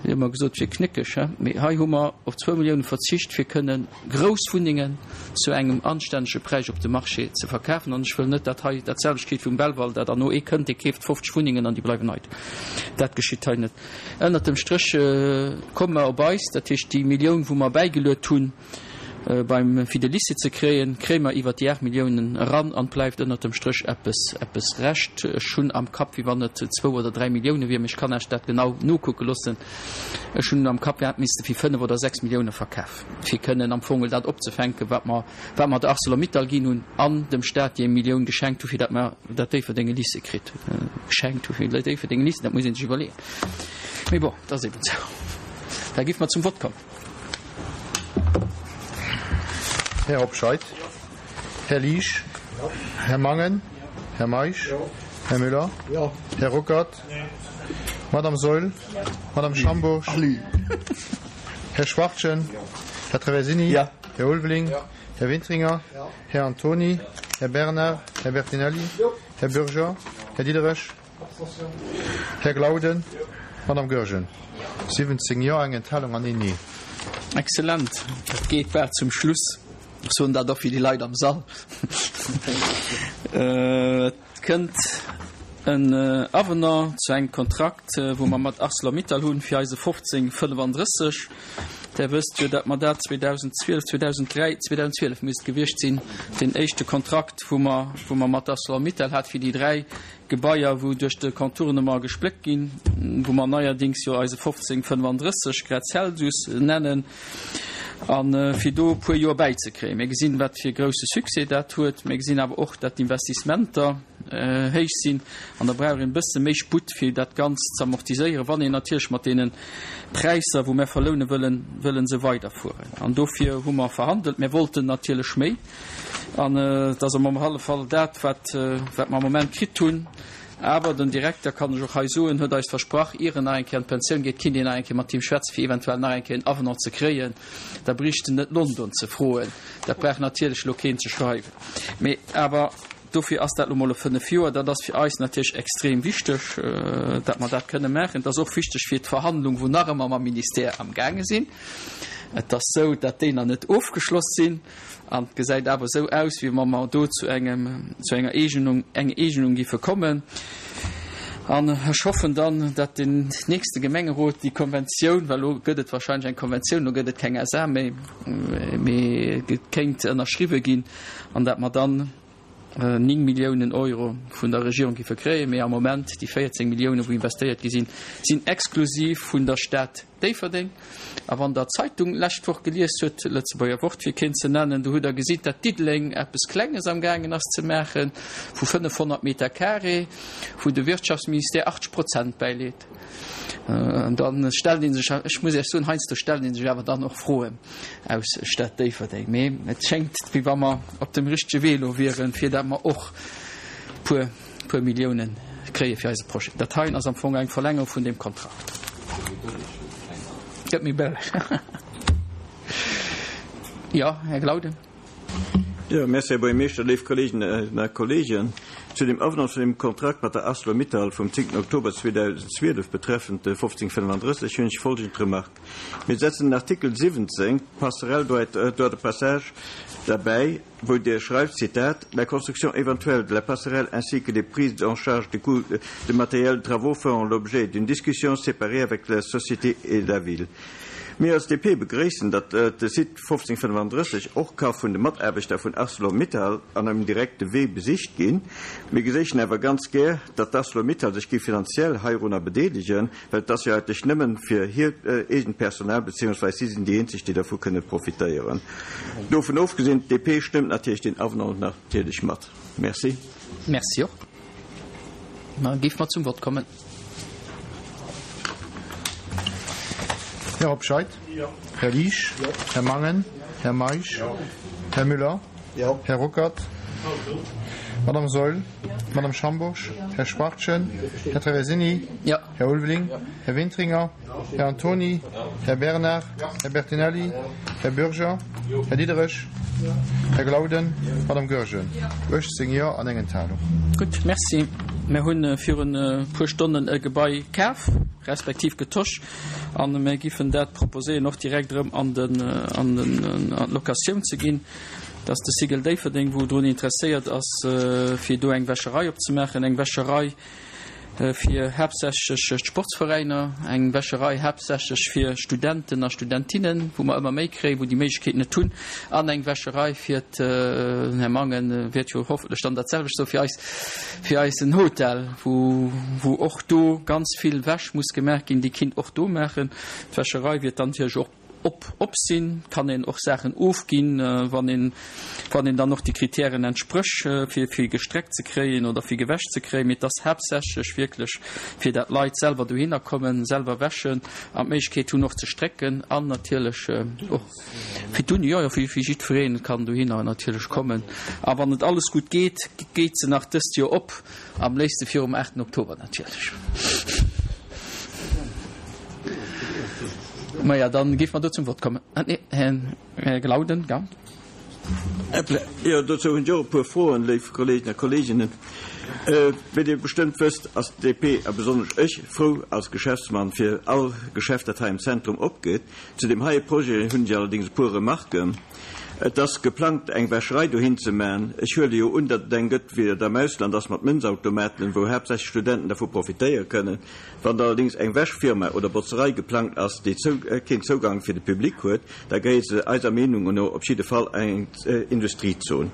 wéi ëmmer gesot, fir knéckeg, he, mee hei hu mer op zwou Milliounen verzicht, fir kënne grouss Wunnengen zu engem anstännege Präis op de Marché ze verkafen. An ech wëll net, dat hei dat selwecht kritt wéi um Belval, dat herno ee kënnt, dee keeft fofzeg Wunnengen an déi bleiwen eidel. Dat geschitt hei net. Ënnert dem Stréch komme mer op eis, dat heescht déi Millioun, wou mer bäigeluet hunn, beim fir de Lycée ze kréien, kréie mer iwwert déi aacht Milliounen eran an et bleift ënnert dem Stréch eppes, eppes Rescht. Ech hunn am Kapp, wéi wann et zwou oder dräi Millioune wier, mee ech kann Iech dat genau nokucke loossen. Ech hunn am Kapp, mir hätte misste fir fënnef oder sechs Millioune verkafen, fir kënnen am Fong dat opzefänken, wat mer, wat mer der Arcelor-Mittal ginn hunn an dem Stat, déi eng Millioun geschenkt hu fir dat mer dat Déifferdenger Lycée kritt, geschenkt hu fir de Déifferdenger Lycée. Dat muss ee sech iwwerleeën. Mee bon, et ass eben esou. Da géife mer zum Vott kommen. Här Hobscheit, Här Liesch, Här Mangen, Här Meisch, Här Müller, Här Ruckert, Madame Saeul, Madame Schambourg, Här Schwachtgen, Här Traversini, Här Ulveling, Här Wintringer, Här Antony, Här Bernard, Här Bertinelli, Här Bürger, Här Diderich, Här Glauden, Madame Goergen. siwwenzéng Jo, eng Enthalung an een Nee. Excellent. Dat geet bal zum Schluss. Ech soen dat och fir déi Leit am Sall. Et kënnt en Avenant zu engem Kontrakt, wou mer mat Arcelor-Mittal hunn fir eise fofzéng fënnefandrësseg. Der wësst jo, datt mer dat zweedausendzwielef, zweedausenddräi, zweedausendzwielef misst et gewiescht sinn, deen éischte Kontrakt, wou mer, wou mer mat Arcelor-Mittal hat fir déi dräi Gebaier, wou duerch de Contournement gespléckt ginn, wou mer neierdings jo eise fofzéng fënnefandrësseg Grad Celsius nennen, a fir do e puer Joer bäizekréien. Mir gesinn, wat fir e grouse Succès dat huet. Mir gesinn awer och, dat d'Investissementer héich sinn, an da brauch een e bësse méi Sputt, fir dat Ganzt z'amortiséieren, wann een natierlech mat deene Präisser, wou mer verloune wëllen, wëllen esou weiderfueren. An dofir hu mer verhandelt. Mir wollten natierlech méi. An et ass am alle Fall dat, wat wat mer am Moment kritt hunn. Awer den Direkter, kann ech och hei soen, huet eis versprach, ier en nach eng Kéier an d'Pensioun geet, kinnt een nach eng Kéier mat him schwätzen, fir eventuell nach eng Kéier en Avenant ze kréien. Da bréicht en net London ze froen. Dat brauch natierlech elo keen ze schreiwen. Mee awer dofir ass dat elo mol op fënnef Joer. Dat ass fir eis natierlech extrem wichteg, datt mer dat kënne maachen. Et ass och wichteg fir d'Verhandlung, wou nach ëmmer mam Ministère amgaange sinn. Et ass esou, datt déi nach net ofgeschloss sinn. An et gesäit awer esou aus, wéi wa mer do zu engem, zu enger Eegenung, eng Eegenung giffe kommen. An ech hoffen dann, datt den nächste Gemengerot déi Konventioun, well elo gëtt et wahrscheinlech eng Konventioun, elo gëtt et keng S A méi, mee et kéint ënnerschriwwe ginn, an datt mer dann néng Milliounen Euro vun der Regierung giffe kréien. Mee am Moment, déi véierzéng Milliounen, wou investéiert gi sinn, sinn exklusiv vun der Stad Déifferdeng. A wann Der d'Zeitung lescht Woch gelies hutt, Lëtzebuerger Wort fir keen ze nennen, do hutt Der gesitt, datt Diddeleng eppes Klenges amgaangen ass ze maache vu fënnefhonnert Meter carré, wou de Wirtschaftsministère achtzeg Prozent bäileet. An da stellt ee sech, ech muss Iech soen, heiansdo stellt ee sech awer dann och Froen aus Stad Déifferdeng. Mee et schéngt, wéi wa mer op dem richtege Wee elo wieren, fir datt mer och puer, puer Milliounen kréie fir eise Projet. Dat heien ass am Fong eng Verlängerung vun deem Kontrakt. Gëtt méi bëlleg. Jo, Här Glauden. Jo, merci, Här Buergermeeschter, léif Kolleeginnen a Kolleegen. Zu dem Avenant vun dem Kontrakt mat der Arcelor-Mittal vum zéngten Oktober zweedausendzwielef betreffend de fofzéng fënnefandrësseg hunn ech folgend Remarque. Mir setzen den Artikel siwwenzéng, Passerelle droit de passage, derbäi, wou Dir schreift, Zitat, La construction éventuelle de la passerelle ainsi que les prises en charge des coûts de matériel de travaux feront l'objet d'une discussion séparée avec la société et la ville. Mir als D P begréissen, datt de Site fofzéng fënnefandrësseg och ka vun de Mataarbechter vun Arcelor-Mittal an engem direkte Wee besicht ginn. Mir geséichen awer ganz gär, datt d'Arcelor-Mittal sech géif finanziell heirunner bedeelegen, well et ass jo eigentlech nëmmen fir hiert eegent Personal, beziehungsweis si sinn déi eenzeg, déi dervu kënne profitéieren. Dovun ofgesinn, d'D P stëmmt natierlech deen Avenant natierlech mat. Merci. Merci och. Da géife mer zum Vott kommen. Här Hobscheit? Här Liesch? Här Mangen? Här Meisch? Här Müller? Här Ruckert? Madame Saeul? Madame Schambourg? Här Schwachtgen? Här Traversini? Här Ulveling? Här Wintringer? Här Antoni? Här Bernard? Här Bertinelli? Här Bürger? Här Diderich? Här Glauden? Madame Goergen? uechtzéng Jo an eng Enthalung. Gutt, merci. Mir hunn virun e puer Stonnen e Gebai kaf, respektiv getosch, an mir giffen dat proposéieren, och direkt erëm an den, an den, an d'Locatioun ze ginn. Dat ass de Cigl Déifferdeng, wou drun interesséiert ass, fir do eng Wäscherei opzemaachen, eng Wäscherei fir haaptsächlech d'Sportsveräiner, eng Wäscherei haaptsächlech fir Studenten a Studentinnen, wou mer ëmmer méi kréien, wou déi Méiglechkeet net hunn, an eng Wäscherei fir den Här Mangen wäert jo hoffentlech dann dat selwecht soen, fir eis, fir eisen Hotel, wou, wou och do ganz vill Wäsch muss gemaach ginn, déi kinnt och do maachen. D'Wäscherei wiert dann natierlech och op op sinn, kann een och Saachen ofginn, wann een wann een dann och de Kritären entspréch, fir fir gestreckt ze kréien oder fir gewäsch ze kréien. Mee et ass haaptsächlech wierklech fir dat d'Leit selwer dohinner kommen, selwer wäschen an d'Méiglechkeet hunn och ze strecken an natierlech och fir d'Uni, jo jo, fir fir jiddweree kann dohinner natierlech kommen. A wann et alles gutt geet, geet se nach dëst Joer op, am léifste virum aachten Oktober natierlech. Maja, dann géife mer do zum Vott kommen. Ah, nee, Här, Här Glauden, ja. Jo, dozou hunn ech och e puer Froen, léif Kolleegen a Kolleeginnen. Wéi Dir bestëmmt wësst, ass d'D P a besonnesch ech frou als Geschäftsmann fir all Geschäft, dat hei am Zentrum opgeet. Zu deem heie Projet hunn ech allerdéngs e puer Remarken. Et ass geplangt, eng Wäscherei dohin ze maachen. Ech huele jo un, datt et eng gëtt, wéi et am Ausland ass mat Mënzautomaten, wou haaptsächlech Studenten dervu profitéiere kënnen. Wann allerdéngs eng Wäschfirma oder Botzerei geplangt ass, déi keen Zougang fir de Public huet, da gehéiert se eiser Meenung no op jidde Fall an eng Industriezon.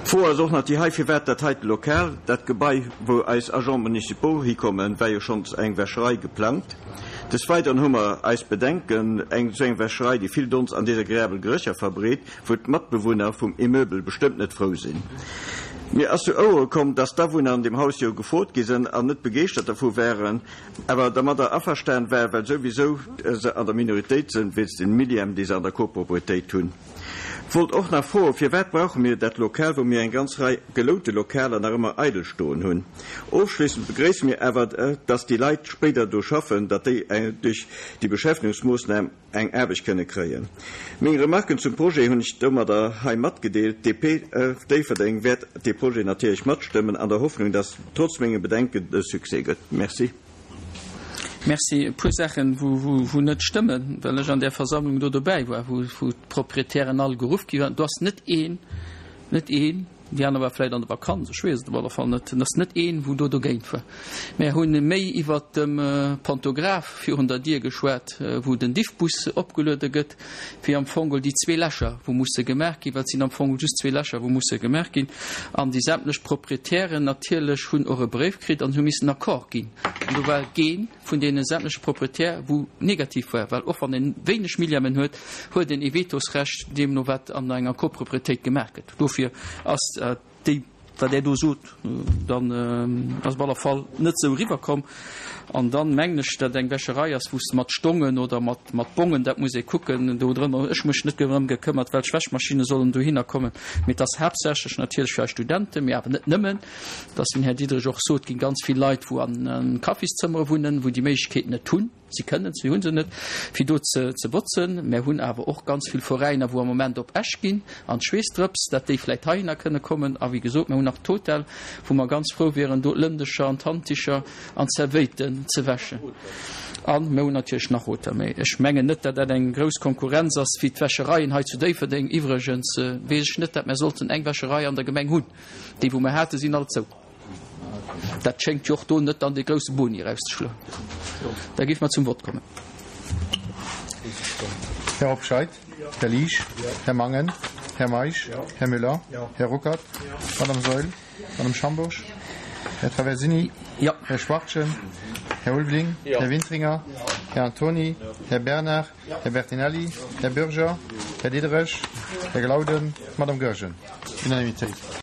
D'Fro ass och nach déi hei, Firwat dat heite Lokal? Dat Gebai, wou eis Agents municipaux hikommen, war jo schonns eng Wäscherei geplangt. Des Weideren hu mer eis Bedenken, eng esou eng Wäscherei, déi vill Donst an desagreabel Gerécher verbreet, wou d'Matbewunner vum Immeuble bestëmmt net frou sinn. Mir ass zu Ouere komm, dass d'Awunner an deem Haus jo gefrot gi sinn an net begeeschtert dervu waren, awer dermadder averstan waren, well souwisou se an der Minoritéit sinn, wéinst den Millième, déi se an der Coproprietéit hunn. Wollt och nach froen, Firwat brauche mir dat Lokal, wou mir eng ganz Rei gelounte Lokaler nach ëmmer eidel stoen hunn? Ofschléissend begréisse mir awer, dass déi Leit spéider do schaffen, datt déi duerch déi Beschäftegungsmoossnam eng Aarbecht kënne kréien. Meng Remarken zum Projet hunn ech domadder hei matgedeelt. D P Déifferdeng wäert dee Projet natierlech matstëmmen, an der Hoffnung, dass trotz menge Bedenken e Succès gëtt. Merci. Merci. E puer Saachen, wou net stëmmen, well ech an där Versammlung do dobäi war, wou d'Proprietären all geruff gi waren. Do ass net een, net een, déi aner war vläicht an der Vakanz, ech weess et op alle Fall net, et ass net een, wou do dogéint war. Mär hunn méi iwwert dem Pantograph virun der Dier geschwat, wou den Diffbus opgeluede gëtt, wéi am Fong déi zwee Lächer, wou musse gemaach ginn, well et sinn am Fong just zwee Lächer, wou musse gemaach ginn. An déi sämtlech Proprietären natierlech hunn och e Bréif kritt an hu missen Accord ginn. An do war kee vun deene sämtleche Propriétaire, wou negativ war, well och wann een wéineg Millièmen huet, huet een e Vetosrecht, deemno wat an enger Copropriétéit gemaach gëtt. Dofir ass déi, wat Der do sot, dann ass op alle Fall net esou eriwwerkomm. An dann mengen ech, datt eng Wäscherei ass, wou s de mat Stongen oder mat mat Bongen, dat muss ee kucken do drënner, ech mech net drëm gekëmmert, welch Wäschmaschinne sollen dohinner kommen, mee et ass haaptsächlech natierlech fir eis Studenten, mee awer net nëmmen, et ass, wéi den Här Diderich och sot, ginn ganz vill Leit, wou an Kaffiszëmmere wunnen, wou déi Méiglechkeet net hunn. Si kënnen se, hu se net, fir do ze ze botzen. Mär hunn awer och ganz vill Veräiner, wou am Moment op Esch ginn, an d'Schweessdrëps, dat déi vläicht heihinner kënne kommen. A wéi gesot, mir hunn nach d'Hotel, wou mer ganz frou wieren, do d'Lëndecher an d'Handticher an d'Zerwéiten ze wäschen. A mir hunn natierlech nach Hotel. Mee ech mengen net, dat dat eng grouss Konkurrenz ass wéi d'Wäschereien hei zu Déifferdeng. Iwwregens weess ech net, dat mer sollten eng Wäscherei an der Gemeng hunn. Déi, wou mer haten, sinn all zou. Dat schéngt jo och do net dann dee grousse Boni erauszeschloen. Da géife mer zum Vott kommen. Här Hobscheit, Här Liesch, Här Mangen, Här Meisch, Här Müller, Här Ruckert, Madame Saeul, Madame Schambourg, Här Traversini, Här Schwachtgen, Här Ulveling, Här Wintringer, Här Antony, Här Bernard, Här Bertinelli, Här Bürger, Här Diderich, Här Glauden, Madame Goergen. Unanimitéit.